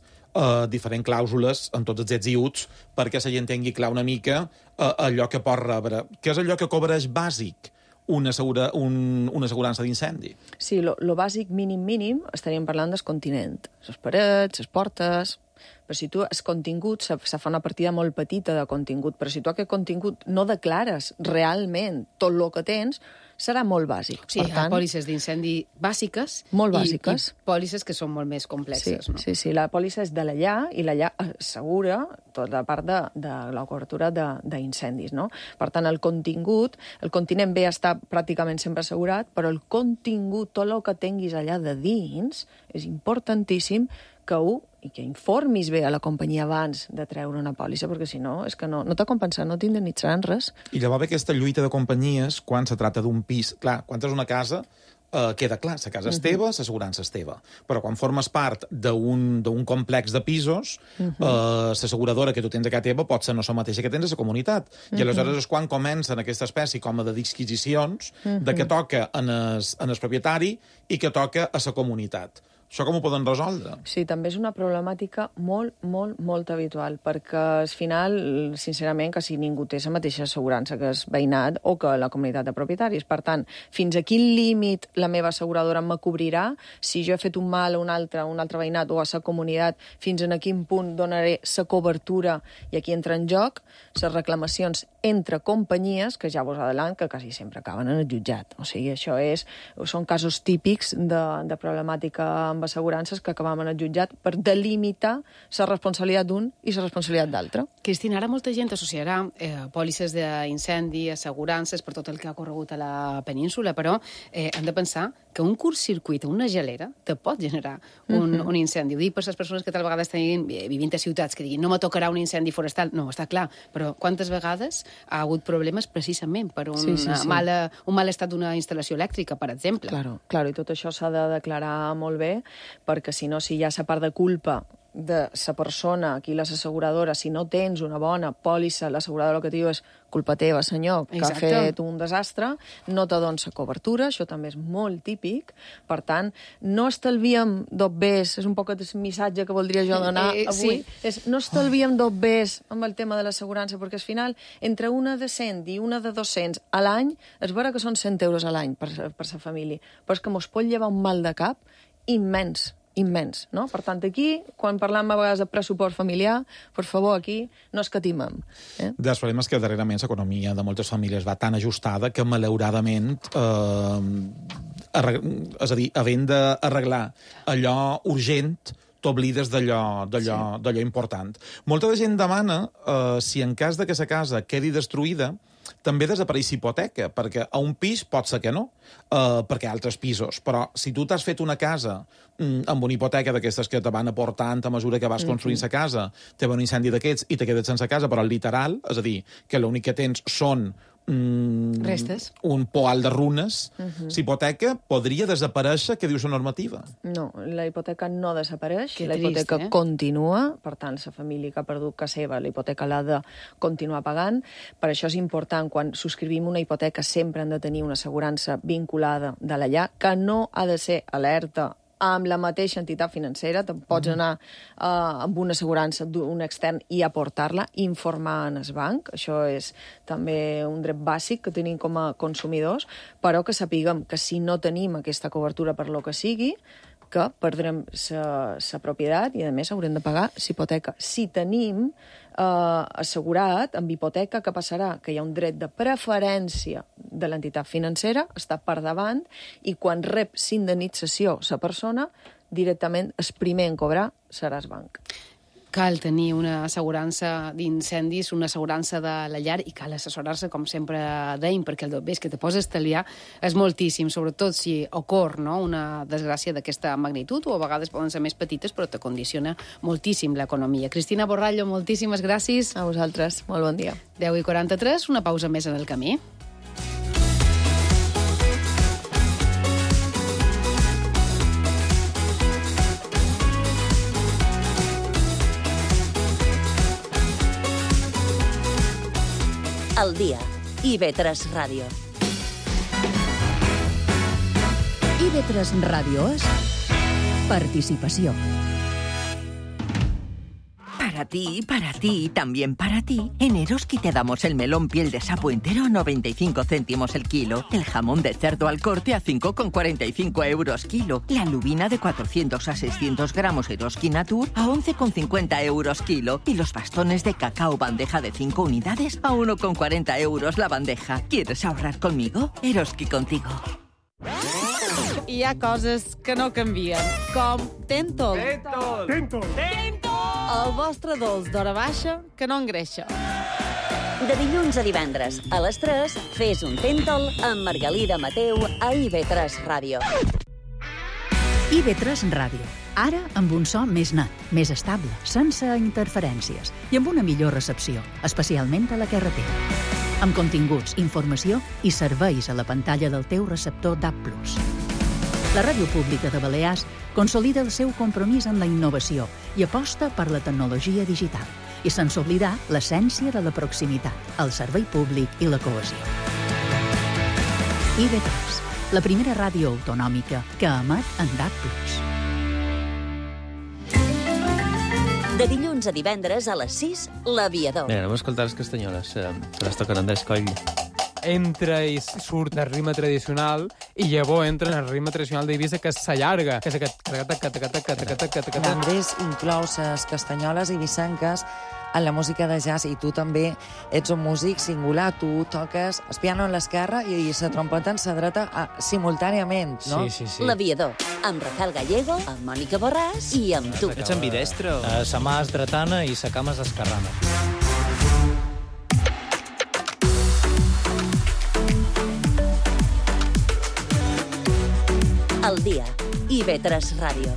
diferents clàusules en tots els ets i uts perquè la gent tingui clar una mica allò que pot rebre. Què és allò que cobreix bàsic una assegurança d'incendi? Sí, lo bàsic mínim estaríem parlant del continent. Les parets, les portes... Però si tu, el contingut, se fa una partida molt petita de contingut, però si tu aquest contingut no declares realment tot el que tens, serà molt bàsic. Sí, hi ha pòlisses d'incendi bàsiques molt bàsiques. I pòlisses que són molt més complexes. Sí, la pòlissa és de la llar i la llar assegura tota la part de la cobertura d'incendis, no? Per tant, el continent ve a estar pràcticament sempre assegurat, però el contingut, tot el que tinguis allà de dins, és importantíssim que informis bé a la companyia abans de treure una pòlissa, perquè si no, és que no t'ha compensat, no t'indemnitzaran res. I llavors ve aquesta lluita de companyies quan se tracta d'un pis. Clar, quan és una casa, queda clar, la casa és teva, l'assegurança és teva. Però quan formes part d'un complex de pisos, l'asseguradora que tu tens a casa teva pot ser no la mateixa que tens a la comunitat. I aleshores és quan comencen aquesta espècie com a de disquisicions de que toca en el propietari i que toca a la comunitat. Això com ho poden resoldre? Sí, també és una problemàtica molt habitual, perquè al final, sincerament, quasi ningú té la mateixa assegurança que el veïnat o que la comunitat de propietaris. Per tant, fins a quin límit la meva asseguradora me cobrirà? Si jo he fet un mal a un altre veïnat o a la comunitat, fins a quin punt donaré la cobertura? I aquí entra en joc les reclamacions entre companyies, que ja vos adelant, que quasi sempre acaben en el jutjat. O sigui, això són casos típics de problemàtica amb assegurances que acabam en el jutjat per delimitar la responsabilitat d'un i la responsabilitat d'altre. Cristina, ara molta gent associarà pòlisses d'incendi, assegurances per tot el que ha corregut a la península, però hem de pensar que un curt-circuit o una gelera te pot generar un incendi. Ho dic per les persones que tal vegada estan vivint a ciutats que diguin no me tocarà un incendi forestal. No, està clar, però quantes vegades ha hagut problemes precisament per un mal estat d'una instal·lació elèctrica, per exemple. Claro, i tot això s'ha de declarar molt bé, perquè si no, si hi ha la part de culpa de la persona, aquí les asseguradores, si no tens una bona pòlissa, l'asseguradora el que diu és culpa teva, senyor, que ha fet un desastre, no te dones cobertura, això també és molt típic. Per tant, no estalviem dobbers, és un poc el missatge que voldria jo donar avui, no estalviem dobbers amb el tema de l'assegurança, perquè al final, entre una de 100 i una de 200 a l'any, és vera que són 100 euros a l'any per la família, però és que mos pot llevar un mal de cap immens, no? Per tant, aquí, quan parlam a vegades de pressupost familiar, per favor, aquí no escatimem. El problema és que darrerament l'economia de moltes famílies va tan ajustada que, malauradament, és a dir, havent d'arreglar allò urgent, t'oblides d'allò important. Molta de gent demana si en cas de que la casa quedi destruïda, també desapareix hipoteca, perquè a un pis pot ser que no, perquè hi ha altres pisos, però si tu t'has fet una casa amb una hipoteca d'aquestes que te van aportant a mesura que vas construint la casa, te va un incendi d'aquests i te quedes sense casa, però literal, és a dir, que l'únic que tens són restes. Un poal de runes. S'hipoteca podria desaparèixer, què diu la normativa? No, la hipoteca no desapareix, Que la hipoteca trist, continua, per tant, la família que ha perdut casa seva, la hipoteca l'ha de continuar pagant. Per això és important, quan subscrivim una hipoteca, sempre hem de tenir una assegurança vinculada de la llar, que no ha de ser alerta amb la mateixa entitat financera. Te'n pots anar amb una assegurança d'un extern i aportar-la, informar en el banc. Això és també un dret bàsic que tenim com a consumidors, però que sapiguem que si no tenim aquesta cobertura per lo que sigui, que perdrem la propietat i, a més, haurem de pagar l'hipoteca. Si tenim assegurat amb hipoteca, què passarà? Que hi ha un dret de preferència de l'entitat financera, està per davant, i quan rep l'indemnització la persona, directament el primer en cobrar serà el banc. Cal tenir una assegurança d'incendis, una assegurança de la llar, i cal assessorar-se, com sempre dèiem, perquè el bé que te pots estalviar és moltíssim, sobretot si ocorre, no?, una desgràcia d'aquesta magnitud, o a vegades poden ser més petites, però te condiciona moltíssim l'economia. Cristina Borrallo, moltíssimes gràcies. A vosaltres, molt bon dia. 10:43, una pausa més en el camí. Al dia. IB3 Ràdio. IB3 Ràdio és participació. Para ti y también para ti, en Eroski te damos el melón piel de sapo entero a 95 céntimos el kilo, el jamón de cerdo al corte a 5,45 euros kilo, la lubina de 400 a 600 gramos Eroski Natur a 11,50 euros kilo y los bastones de cacao bandeja de 5 unidades a 1,40 euros la bandeja. ¿Quieres ahorrar conmigo? Eroski contigo. Hi ha coses que no canvien, com Tentol. Tentol. El vostre dolç d'hora baixa que no engreixa. De dilluns a divendres, a les 3, fes un Tentol amb Margalida Mateu a IB3 Ràdio. IB3 Ràdio. Ara amb un so més net, més estable, sense interferències i amb una millor recepció, especialment a la carretera. Amb continguts, informació i serveis a la pantalla del teu receptor DAB+. La Ràdio Pública de Balears consolida el seu compromís amb la innovació i aposta per la tecnologia digital, i sense oblidar l'essència de la proximitat, el servei públic i la cohesió. IB3, la primera ràdio autonòmica que emet en DAB+. De dilluns a divendres a les 6, L'Aviador. Bé, anem a escoltar les castanyoles, se les toquen Andrés Coll. Entra i surt del ritme tradicional i llavors entra en el ritme tradicional d'Eivissa, que s'allarga, que és aquest... Andrés inclou les castanyoles eivissenques en la música de jazz, i tu també ets un músic singular. Tu toques el piano en l'esquerra i la trompeta en la dreta simultàniament, no? Sí. L'Aviador, amb Rafael Gallego, amb Mònica Borràs i amb tu. Ets ambidestre? Sa mà és dretana i sa cama és esquerrana. Al dia. IB3 Ràdio.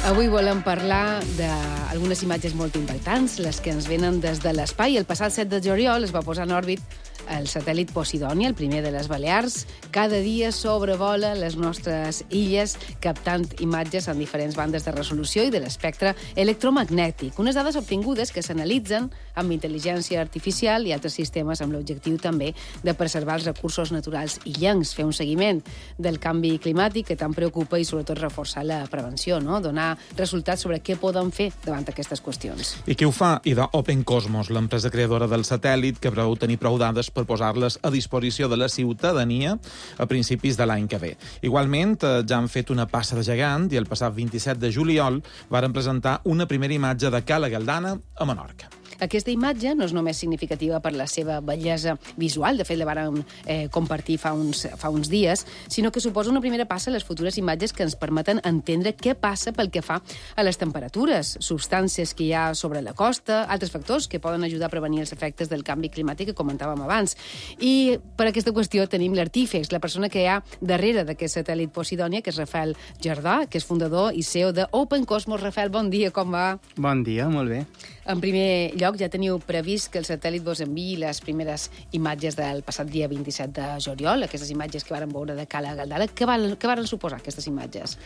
Avui volem parlar d'algunes imatges molt impactants, les que ens venen des de l'espai. El passat 7 de juliol es va posar en òrbit el satèl·lit Posidònia, el primer de les Balears. Cada dia sobrevola les nostres illes captant imatges en diferents bandes de resolució i de l'espectre electromagnètic. Unes dades obtingudes que s'analitzen amb intel·ligència artificial i altres sistemes amb l'objectiu també de preservar els recursos naturals illencs, fer un seguiment del canvi climàtic que tant preocupa i sobretot reforçar la prevenció, no? Donar resultats sobre què poden fer davant aquestes qüestions. I qui ho fa? IDA Open Cosmos, l'empresa creadora del satèl·lit, que preveu tenir prou dades per posar-les a disposició de la ciutadania a principis de l'any que ve. Igualment, ja han fet una passa de gegant i el passat 27 de juliol varen presentar una primera imatge de Cala Galdana a Menorca. Aquesta imatge no és només significativa per la seva bellesa visual, de fet la vàrem compartir fa uns dies, sinó que suposa una primera passa a les futures imatges que ens permeten entendre què passa pel que fa a les temperatures, substàncies que hi ha sobre la costa, altres factors que poden ajudar a prevenir els efectes del canvi climàtic que comentàvem abans. I per aquesta qüestió tenim l'artífex, la persona que hi ha darrere d'aquest satèl·lit Posidònia, que és Rafael Jardà, que és fundador i CEO de Open Cosmos. Rafael, bon dia, com va? Bon dia, molt bé. En primer lloc, ja teniu previst que el satèl·lit vos enviï les primeres imatges del passat dia 27 de juliol, aquestes imatges que varen veure de Cala Galdara. Què varen suposar, aquestes imatges?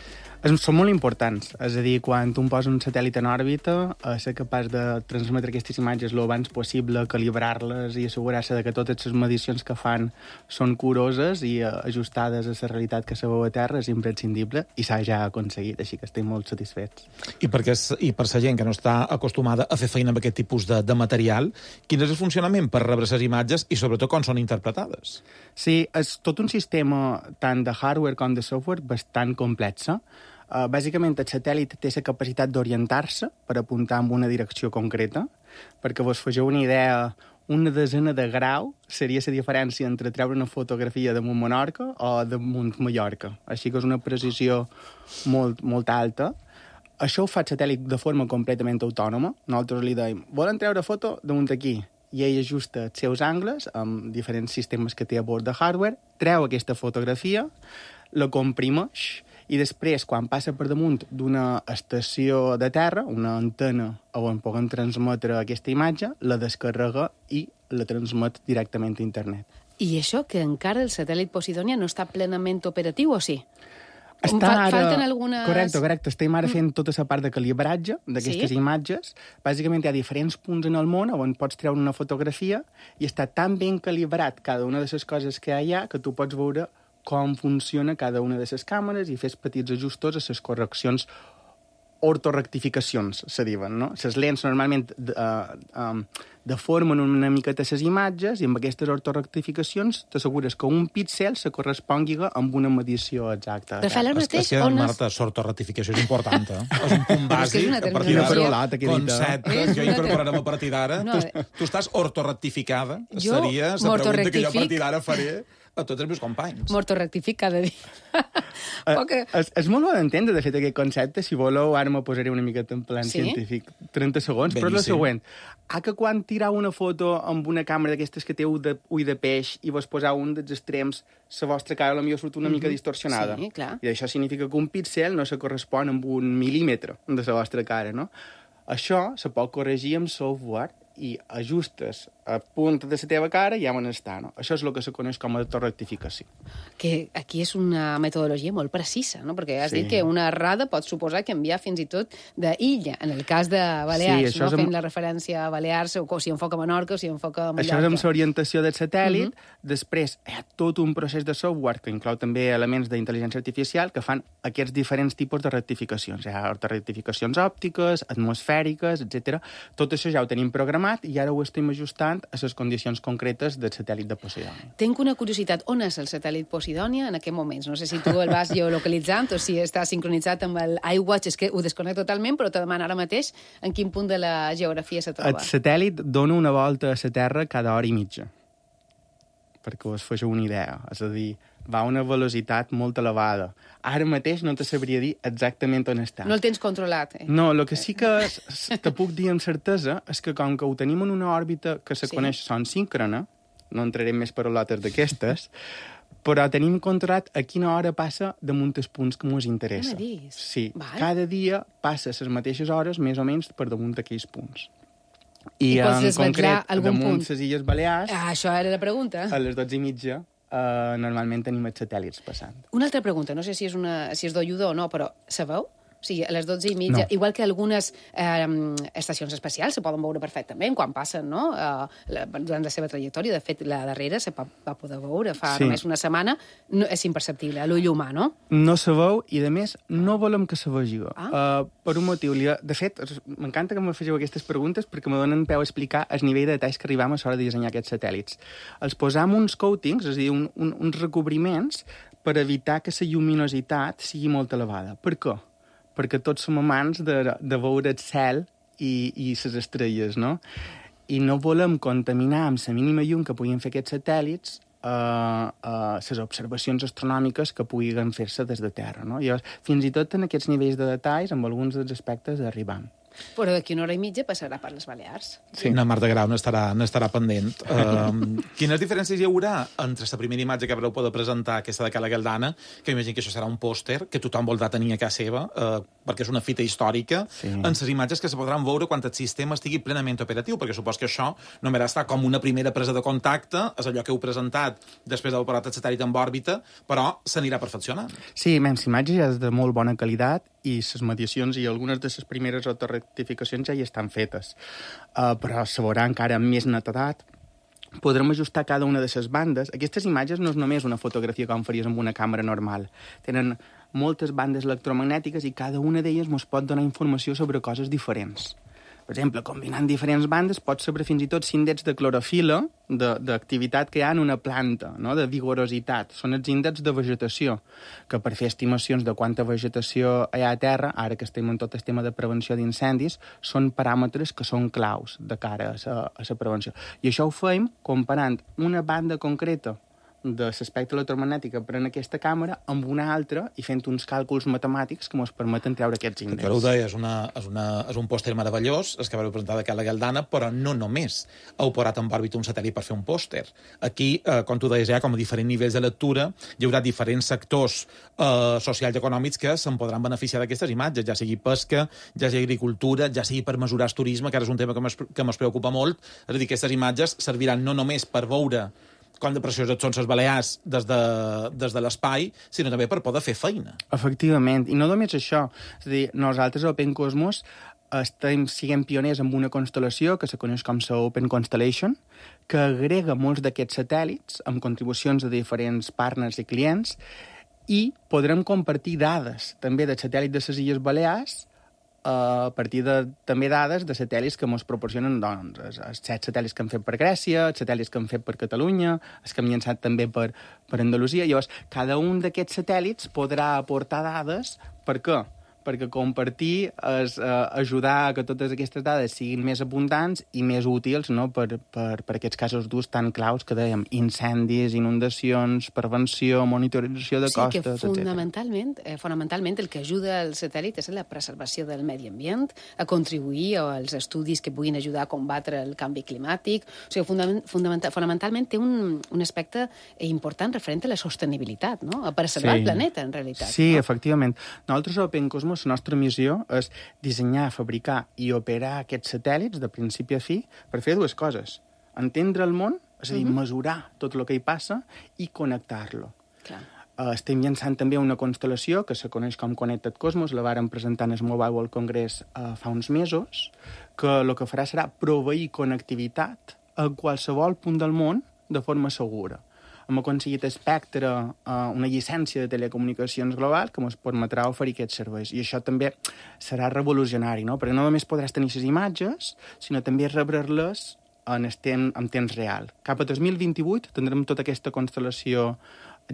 Són molt importants. És a dir, quan tu poses un satèl·lit en òrbita, ser capaç de transmetre aquestes imatges lo abans possible, calibrar-les i assegurar-se que totes les medicions que fan són curoses i ajustades a la realitat que se veu a terra és imprescindible i s'ha ja aconseguit, així que estem molt satisfets. I per la gent que no està acostumada a fer feina amb aquest tipus de material, quin és el funcionament per rebre les imatges i sobretot com són interpretades? Sí, és tot un sistema tant de hardware com de software bastant complexa. Bàsicament, el satèl·lit té la capacitat d'orientar-se per apuntar en una direcció concreta. Perquè vos fegeu una idea, una desena de grau seria la diferència entre treure una fotografia damunt Menorca o damunt Mallorca. Així que és una precisió molt alta. Això ho fa el satèl·lit de forma completament autònoma. Nosaltres li dèiem, volen treure foto damunt aquí? I ell ajusta els seus angles amb diferents sistemes que té a bord de hardware, treu aquesta fotografia, la comprimeix i després, quan passa per damunt d'una estació de terra, una antena on poden transmetre aquesta imatge, la descarrega i la transmet directament a internet. I això que encara el satèl·lit Posidònia no està plenament operatiu, o sí? Falten algunes... Correcte. Estem ara fent tota la part de calibratge d'aquestes imatges. Bàsicament hi ha diferents punts en el món on pots treure una fotografia i està tan ben calibrat cada una de les coses que hi ha que tu pots veure com funciona cada una de les càmeres i fes petits ajustos a les correccions ortorectificacions, se diuen, no? Les lents normalment deformen una miqueta les imatges i amb aquestes ortorectificacions t'assegures que un píxel se correspongui amb una medició exacta. Rafael, ara mateix, on és... Marta, ortorectificació és important, És un punt bàsic. a partir de concepte que jo incorporarem a partir d'ara. Tu estàs ortorectificada? Seria la pregunta que jo a partir d'ara faré a tots els meus companys. M'ortorectific cada dia. És molt bo d'entendre, de fet, aquest concepte. Si voleu, ara me posaré una miqueta en plan científic. 30 segons, però és la següent. Que quan tirau una foto amb una càmera d'aquestes que té ull de peix i vos posau un dels extrems, la vostra cara potser surt una mica distorsionada. Sí, clar. I això significa que un píxel no se correspon amb un mil·límetre de la vostra cara, no? Això se pot corregir amb software i ajustes a punta de la teva cara i ja on està, no? Això és el que se coneix com a autorrectificació. Que aquí és una metodologia molt precisa, no? Perquè has dit que una errada pot suposar canviar fins i tot d'illa, en el cas de Balears, no? Fent la referència a Balears, o si enfoca Menorca o si enfoca Mallorca. Això és amb l'orientació del satèl·lit. Després hi ha tot un procés de software que inclou també elements d'intel·ligència artificial que fan aquests diferents tipus de rectificacions. Hi ha rectificacions òptiques, atmosfèriques, etc. Tot això ja ho tenim programat i ara ho estem ajustant a les condicions concretes del satèl·lit de Posidònia. Tenc una curiositat. On és el satèl·lit Posidònia en aquests moments? No sé si tu el vas geolocalitzant o si està sincronitzat amb el iWatch. És que ho desconnecto totalment, però te demano ara mateix en quin punt de la geografia se troba. El satèl·lit dona una volta a la Terra cada hora i mitja, perquè us feu una idea. És a dir, va a una velocitat molt elevada. Ara mateix no te sabria dir exactament on està. No el tens controlat, No, el que sí que te puc dir amb certesa és que com que ho tenim en una òrbita que se coneix son síncrona, no entrarem més paraulotes d'aquestes, però tenim controlat a quina hora passa damunt els punts que ens interessa. Sí, cada dia passa les mateixes hores més o menys per damunt d'aquells punts. I en concret, damunt les Illes Balears... Això era la pregunta. A les 12:30 normalment tenim els satèl·lits passant. Una altra pregunta, no sé si és d'oiuda o no, però sabeu? O sigui, a les 12:30, igual que algunes estacions espacials se poden veure perfectament quan passen, no? Durant la seva trajectòria. De fet, la darrera se va poder veure fa només una setmana. No, és imperceptible, a l'ull humà, no? No se veu i, a més, no volem que se vegi. Per un motiu. De fet, m'encanta que me fegeu aquestes preguntes perquè me donen peu a explicar el nivell de detalls que arribam a l'hora de dissenyar aquests satèl·lits. Els posam uns coatings, és a dir, uns recobriments per evitar que la lluminositat sigui molt elevada. Per què? Perquè tots som amants de veure el cel i les estrelles, no? i no volem contaminar amb la mínima llum que puguin fer aquests satèl·lits les observacions astronòmiques que puguin fer-se des de Terra. No? Llavors, fins i tot en aquests nivells de detalls, amb alguns dels aspectes, arribam. Però d'aquí una hora i mitja passarà per les Balears. Sí. Na Marta Grau n'estarà pendent. Quines diferències hi haurà entre la primera imatge que haureu poder presentar, aquesta de Cala Galdana, que imagino que això serà un pòster que tothom voldrà tenir a casa seva, perquè és una fita històrica, en les imatges que se podran veure quan el sistema estigui plenament operatiu, perquè supos que això només està com una primera presa de contacte, és allò que heu presentat després d'haver parat el satèl·lit en òrbita, però s'anirà perfeccionant. Sí, la imatge ja és de molt bona qualitat i les mediacions i algunes de les primeres rectificacions ja hi estan fetes. Però se veurà encara amb més netedat. Podrem ajustar cada una de les bandes. Aquestes imatges no és només una fotografia com faries amb una càmera normal. Tenen moltes bandes electromagnètiques i cada una d'elles ens pot donar informació sobre coses diferents. Per exemple, combinant diferents bandes pots saber fins i tot l'índex de clorofila, d'activitat que hi ha en una planta, no? De vigorositat. Són els índexs de vegetació, que per fer estimacions de quanta vegetació hi ha a terra, ara que estem en tot el tema de prevenció d'incendis, són paràmetres que són claus de cara a la prevenció. I això ho fem comparant una banda concreta de l'espectre electromagnètic que pren aquesta càmera amb una altra i fent uns càlculs matemàtics que ens permeten treure aquests índexs. Però ho deia, és un pòster meravellós, el que vau presentar de Cala Galdana, però no només heu posat en òrbita un satèl·lit per fer un pòster. Aquí, com tu deies, hi ha com a diferents nivells de lectura, hi haurà diferents sectors socials i econòmics que se'n podran beneficiar d'aquestes imatges, ja sigui pesca, ja sigui agricultura, ja sigui per mesurar el turisme, que ara és un tema que ens preocupa molt. És a dir, aquestes imatges serviran no només per veure com de precioses són les Balears des de l'espai, sinó també per poder fer feina. Efectivament, i no només això. És a dir, nosaltres a Open Cosmos siguem pioners amb una constel·lació que se coneix com la Open Constellation, que agrega molts d'aquests satèl·lits amb contribucions de diferents partners i clients, i podrem compartir dades també del satèl·lit de les Illes Balears a partir de també dades de satèl·lits que ens proporcionen els 7 satèl·lits que han fet per Grècia, els satèl·lits que han fet per Catalunya, els que hem llançat també per Andalusia. Llavors, cada un d'aquests satèl·lits podrà aportar dades. Per què? Perquè compartir és ajudar a que totes aquestes dades siguin més abundants i més útils, no? per aquests casos durs tan claus que dèiem, incendis, inundacions, prevenció, monitorització de costes, etc. Sí, que fonamentalment el que ajuda el satèl·lit és la preservació del medi ambient, a contribuir als estudis que puguin ajudar a combatre el canvi climàtic. O sigui, fonamentalment té un aspecte important referent a la sostenibilitat, no? A preservar el planeta, en realitat. Sí, no? Efectivament. Nosaltres a Open Cosmos la nostra missió és dissenyar, fabricar i operar aquests satèl·lits de principi a fi per fer dues coses. Entendre el món, és a dir, mesurar tot el que hi passa i connectar-lo. Estem llançant també una constel·lació que se coneix com Connected Cosmos, la vàrem presentar en el Mobile World Congress fa uns mesos, que el que farà serà proveir connectivitat a qualsevol punt del món de forma segura. Hem aconseguit Spectre, una llicència de telecomunicacions global que ens permetrà oferir aquests serveis. I això també serà revolucionari, no? Perquè no només podràs tenir les imatges, sinó també rebre-les en temps real. Cap a 2028 tindrem tota aquesta constel·lació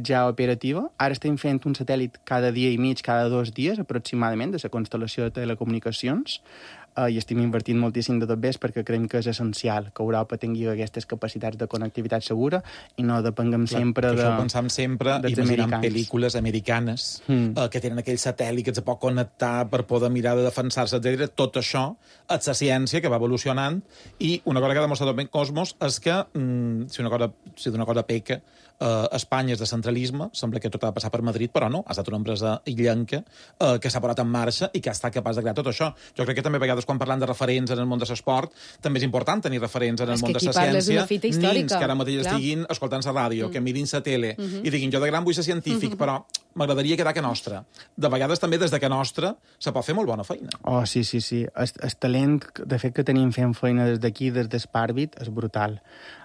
ja operativa. Ara estem fent un satèl·lit cada dia i mig, cada 2 dies aproximadament, de la constel·lació de telecomunicacions, i estem invertint moltíssim de tot bé perquè creiem que és essencial que Europa tingui aquestes capacitats de connectivitat segura i no depenguem sempre de... Això ho pensam sempre imaginant pel·lícules americanes que tenen aquell satèl·lit que es pot connectar per poder mirar de defensar-se, etc. Tot això és la ciència que va evolucionant i una cosa que ha demostrat Open Cosmos és que si d'una cosa peca Espanya és de centralisme, sembla que tot ha de passar per Madrid, però no, ha estat una empresa illenca que s'ha posat en marxa i que ha estat capaç de crear tot això. Jo crec que també a vegades quan parlant de referents en el món de l'esport també és important tenir referents en el món de la ciència, nins que ara mateix estiguin escoltant la ràdio, que mirin la tele i diguin jo de gran vull ser científic, però m'agradaria quedar que nostra. De vegades també des de que nostra se pot fer molt bona feina. Oh, sí. El talent, de fet, que tenim fent feina des d'aquí, des d'Espàrbit, és brutal.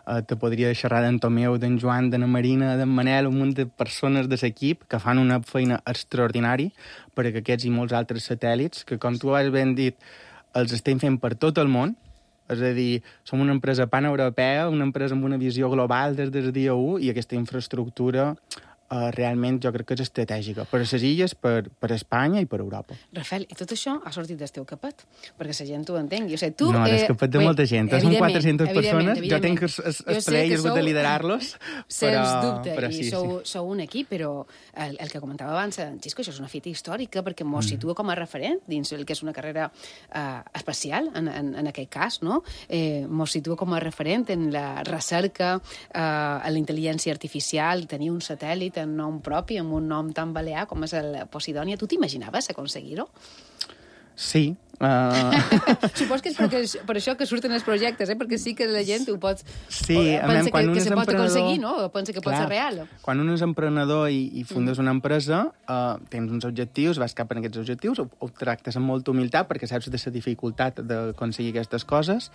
Te podria xerrar d'en Tomeu, d'en Joan, d'en Marina, d'en Manel, un munt de persones de l'equip que fan una feina extraordinària perquè aquests i molts altres satèl·lits, que com tu has ben dit, els estem fent per tot el món. És a dir, som una empresa paneuropea, una empresa amb una visió global des del dia 1 i aquesta infraestructura realment jo crec que és estratègica per a les illes, per a Espanya i per a Europa. Rafael, i tot això ha sortit del teu capet, perquè la gent t'ho entengui. O sigui, tu, no, del capet de molta gent. Són 400 persones, jo tinc el plaer i el gust de liderar-los, però sí. Sou un equip, però el que comentava abans, en Xisco, això és una fita històrica, perquè mos situa com a referent dins el que és una carrera especial, en aquest cas, no? Mos situa com a referent en la recerca, en la intel·ligència artificial, tenir un satèl·lit en nom propi, amb un nom tan balear com és el Posidònia. Tu t'imaginaves aconseguir-ho? Sí. Supos que és per això que surten els projectes, perquè sí que la gent ho pot... Sí, pensa que se pot aconseguir, no? Pensa que pot ser real. Quan un és emprenedor i fundes una empresa, tens uns objectius, vas cap en aquests objectius, ho tractes amb molta humilitat perquè saps de la dificultat d'aconseguir aquestes coses,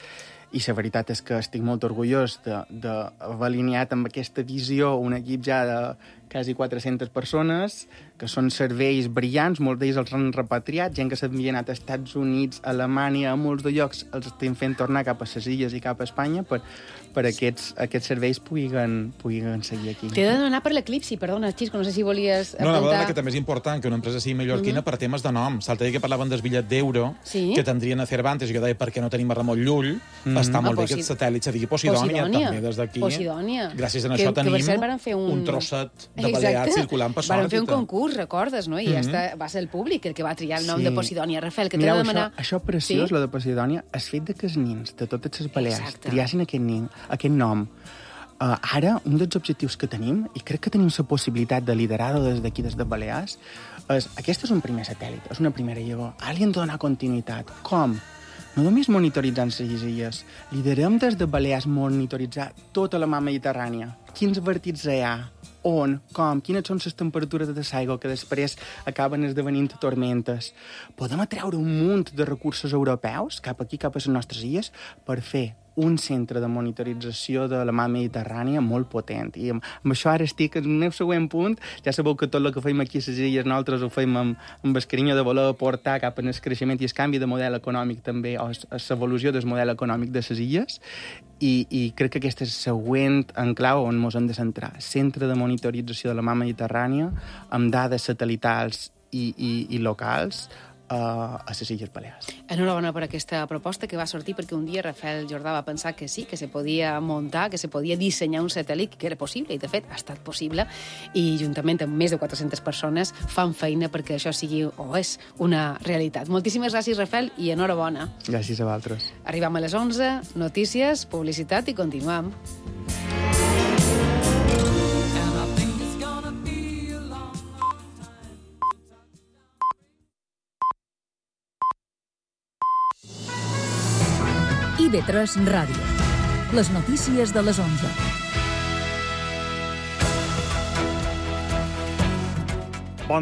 i la veritat és que estic molt orgullós d'haver alineat amb aquesta visió un equip ja de quasi 400 persones, que són serveis brillants, molts d'ells els han repatriat, gent que s'havia anat als Estats Units, a Alemanya, a molts de llocs, els estem fent tornar cap a les illes i cap a Espanya per aquests serveis puguen seguir aquí. T'he de donar per l'eclipsi, perdona, Xisco, no sé si volies apuntar... No, la verdad que també és important que una empresa sigui mallorquina per temes de nom. L'altre dia que parlaven del bitllet d'euro, que tindrien a Cervantes, i jo deia, per què no tenim a Ramon Llull? Està molt bé que el satèl·lit se digui Posidònia, també des d'aquí. Gràcies a això tenim un trosset de Balears circulant per l'òrbita. Van fer un concurs, recordes, no? I va ser el públic el que va triar el nom de Posidònia. Rafael, que t'he de demanar... Això preciós, lo de Posidònia, és fet que els nins de totes les Balears triassin aquest nom. Ara, un dels objectius que tenim, i crec que tenim la possibilitat de liderar-ho des d'aquí, des de Balears, aquest és un primer satèl·lit, és una primera llavor. Ara li hem de donar continuïtat. Com? No només monitoritzant les illes. Liderem des de Balears monitoritzar tota la mar Mediterrània. Quins vertits hi ha? On? Com? Quines són les temperatures de l'aigua que després acaben esdevenint tormentes? Podem atreure un munt de recursos europeus cap aquí, cap a les nostres illes, per fer un centre de monitorització de la mar Mediterrània molt potent. I amb això ara estic en el meu següent punt. Ja sabeu que tot el que fem aquí a les illes nosaltres ho fem amb el carinyo de voler portar cap al creixement i el canvi de model econòmic també, o l'evolució del model econòmic de les illes. I crec que aquest és el següent enclau on ens hem de centrar. Centre de monitorització de la mar Mediterrània amb dades satelitals i locals a les Illes Balears. Enhorabona per aquesta proposta que va sortir perquè un dia Rafael Jordà va pensar que sí, que se podia muntar, que se podia dissenyar un satèl·lit, que era possible, i de fet ha estat possible, i juntament amb més de 400 persones fan feina perquè això sigui o és una realitat. Moltíssimes gràcies, Rafael, i enhorabona. Gràcies a vosaltres. Arribam a les 11, notícies, publicitat i continuem. IB3 Ràdio. Les notícies de les 11.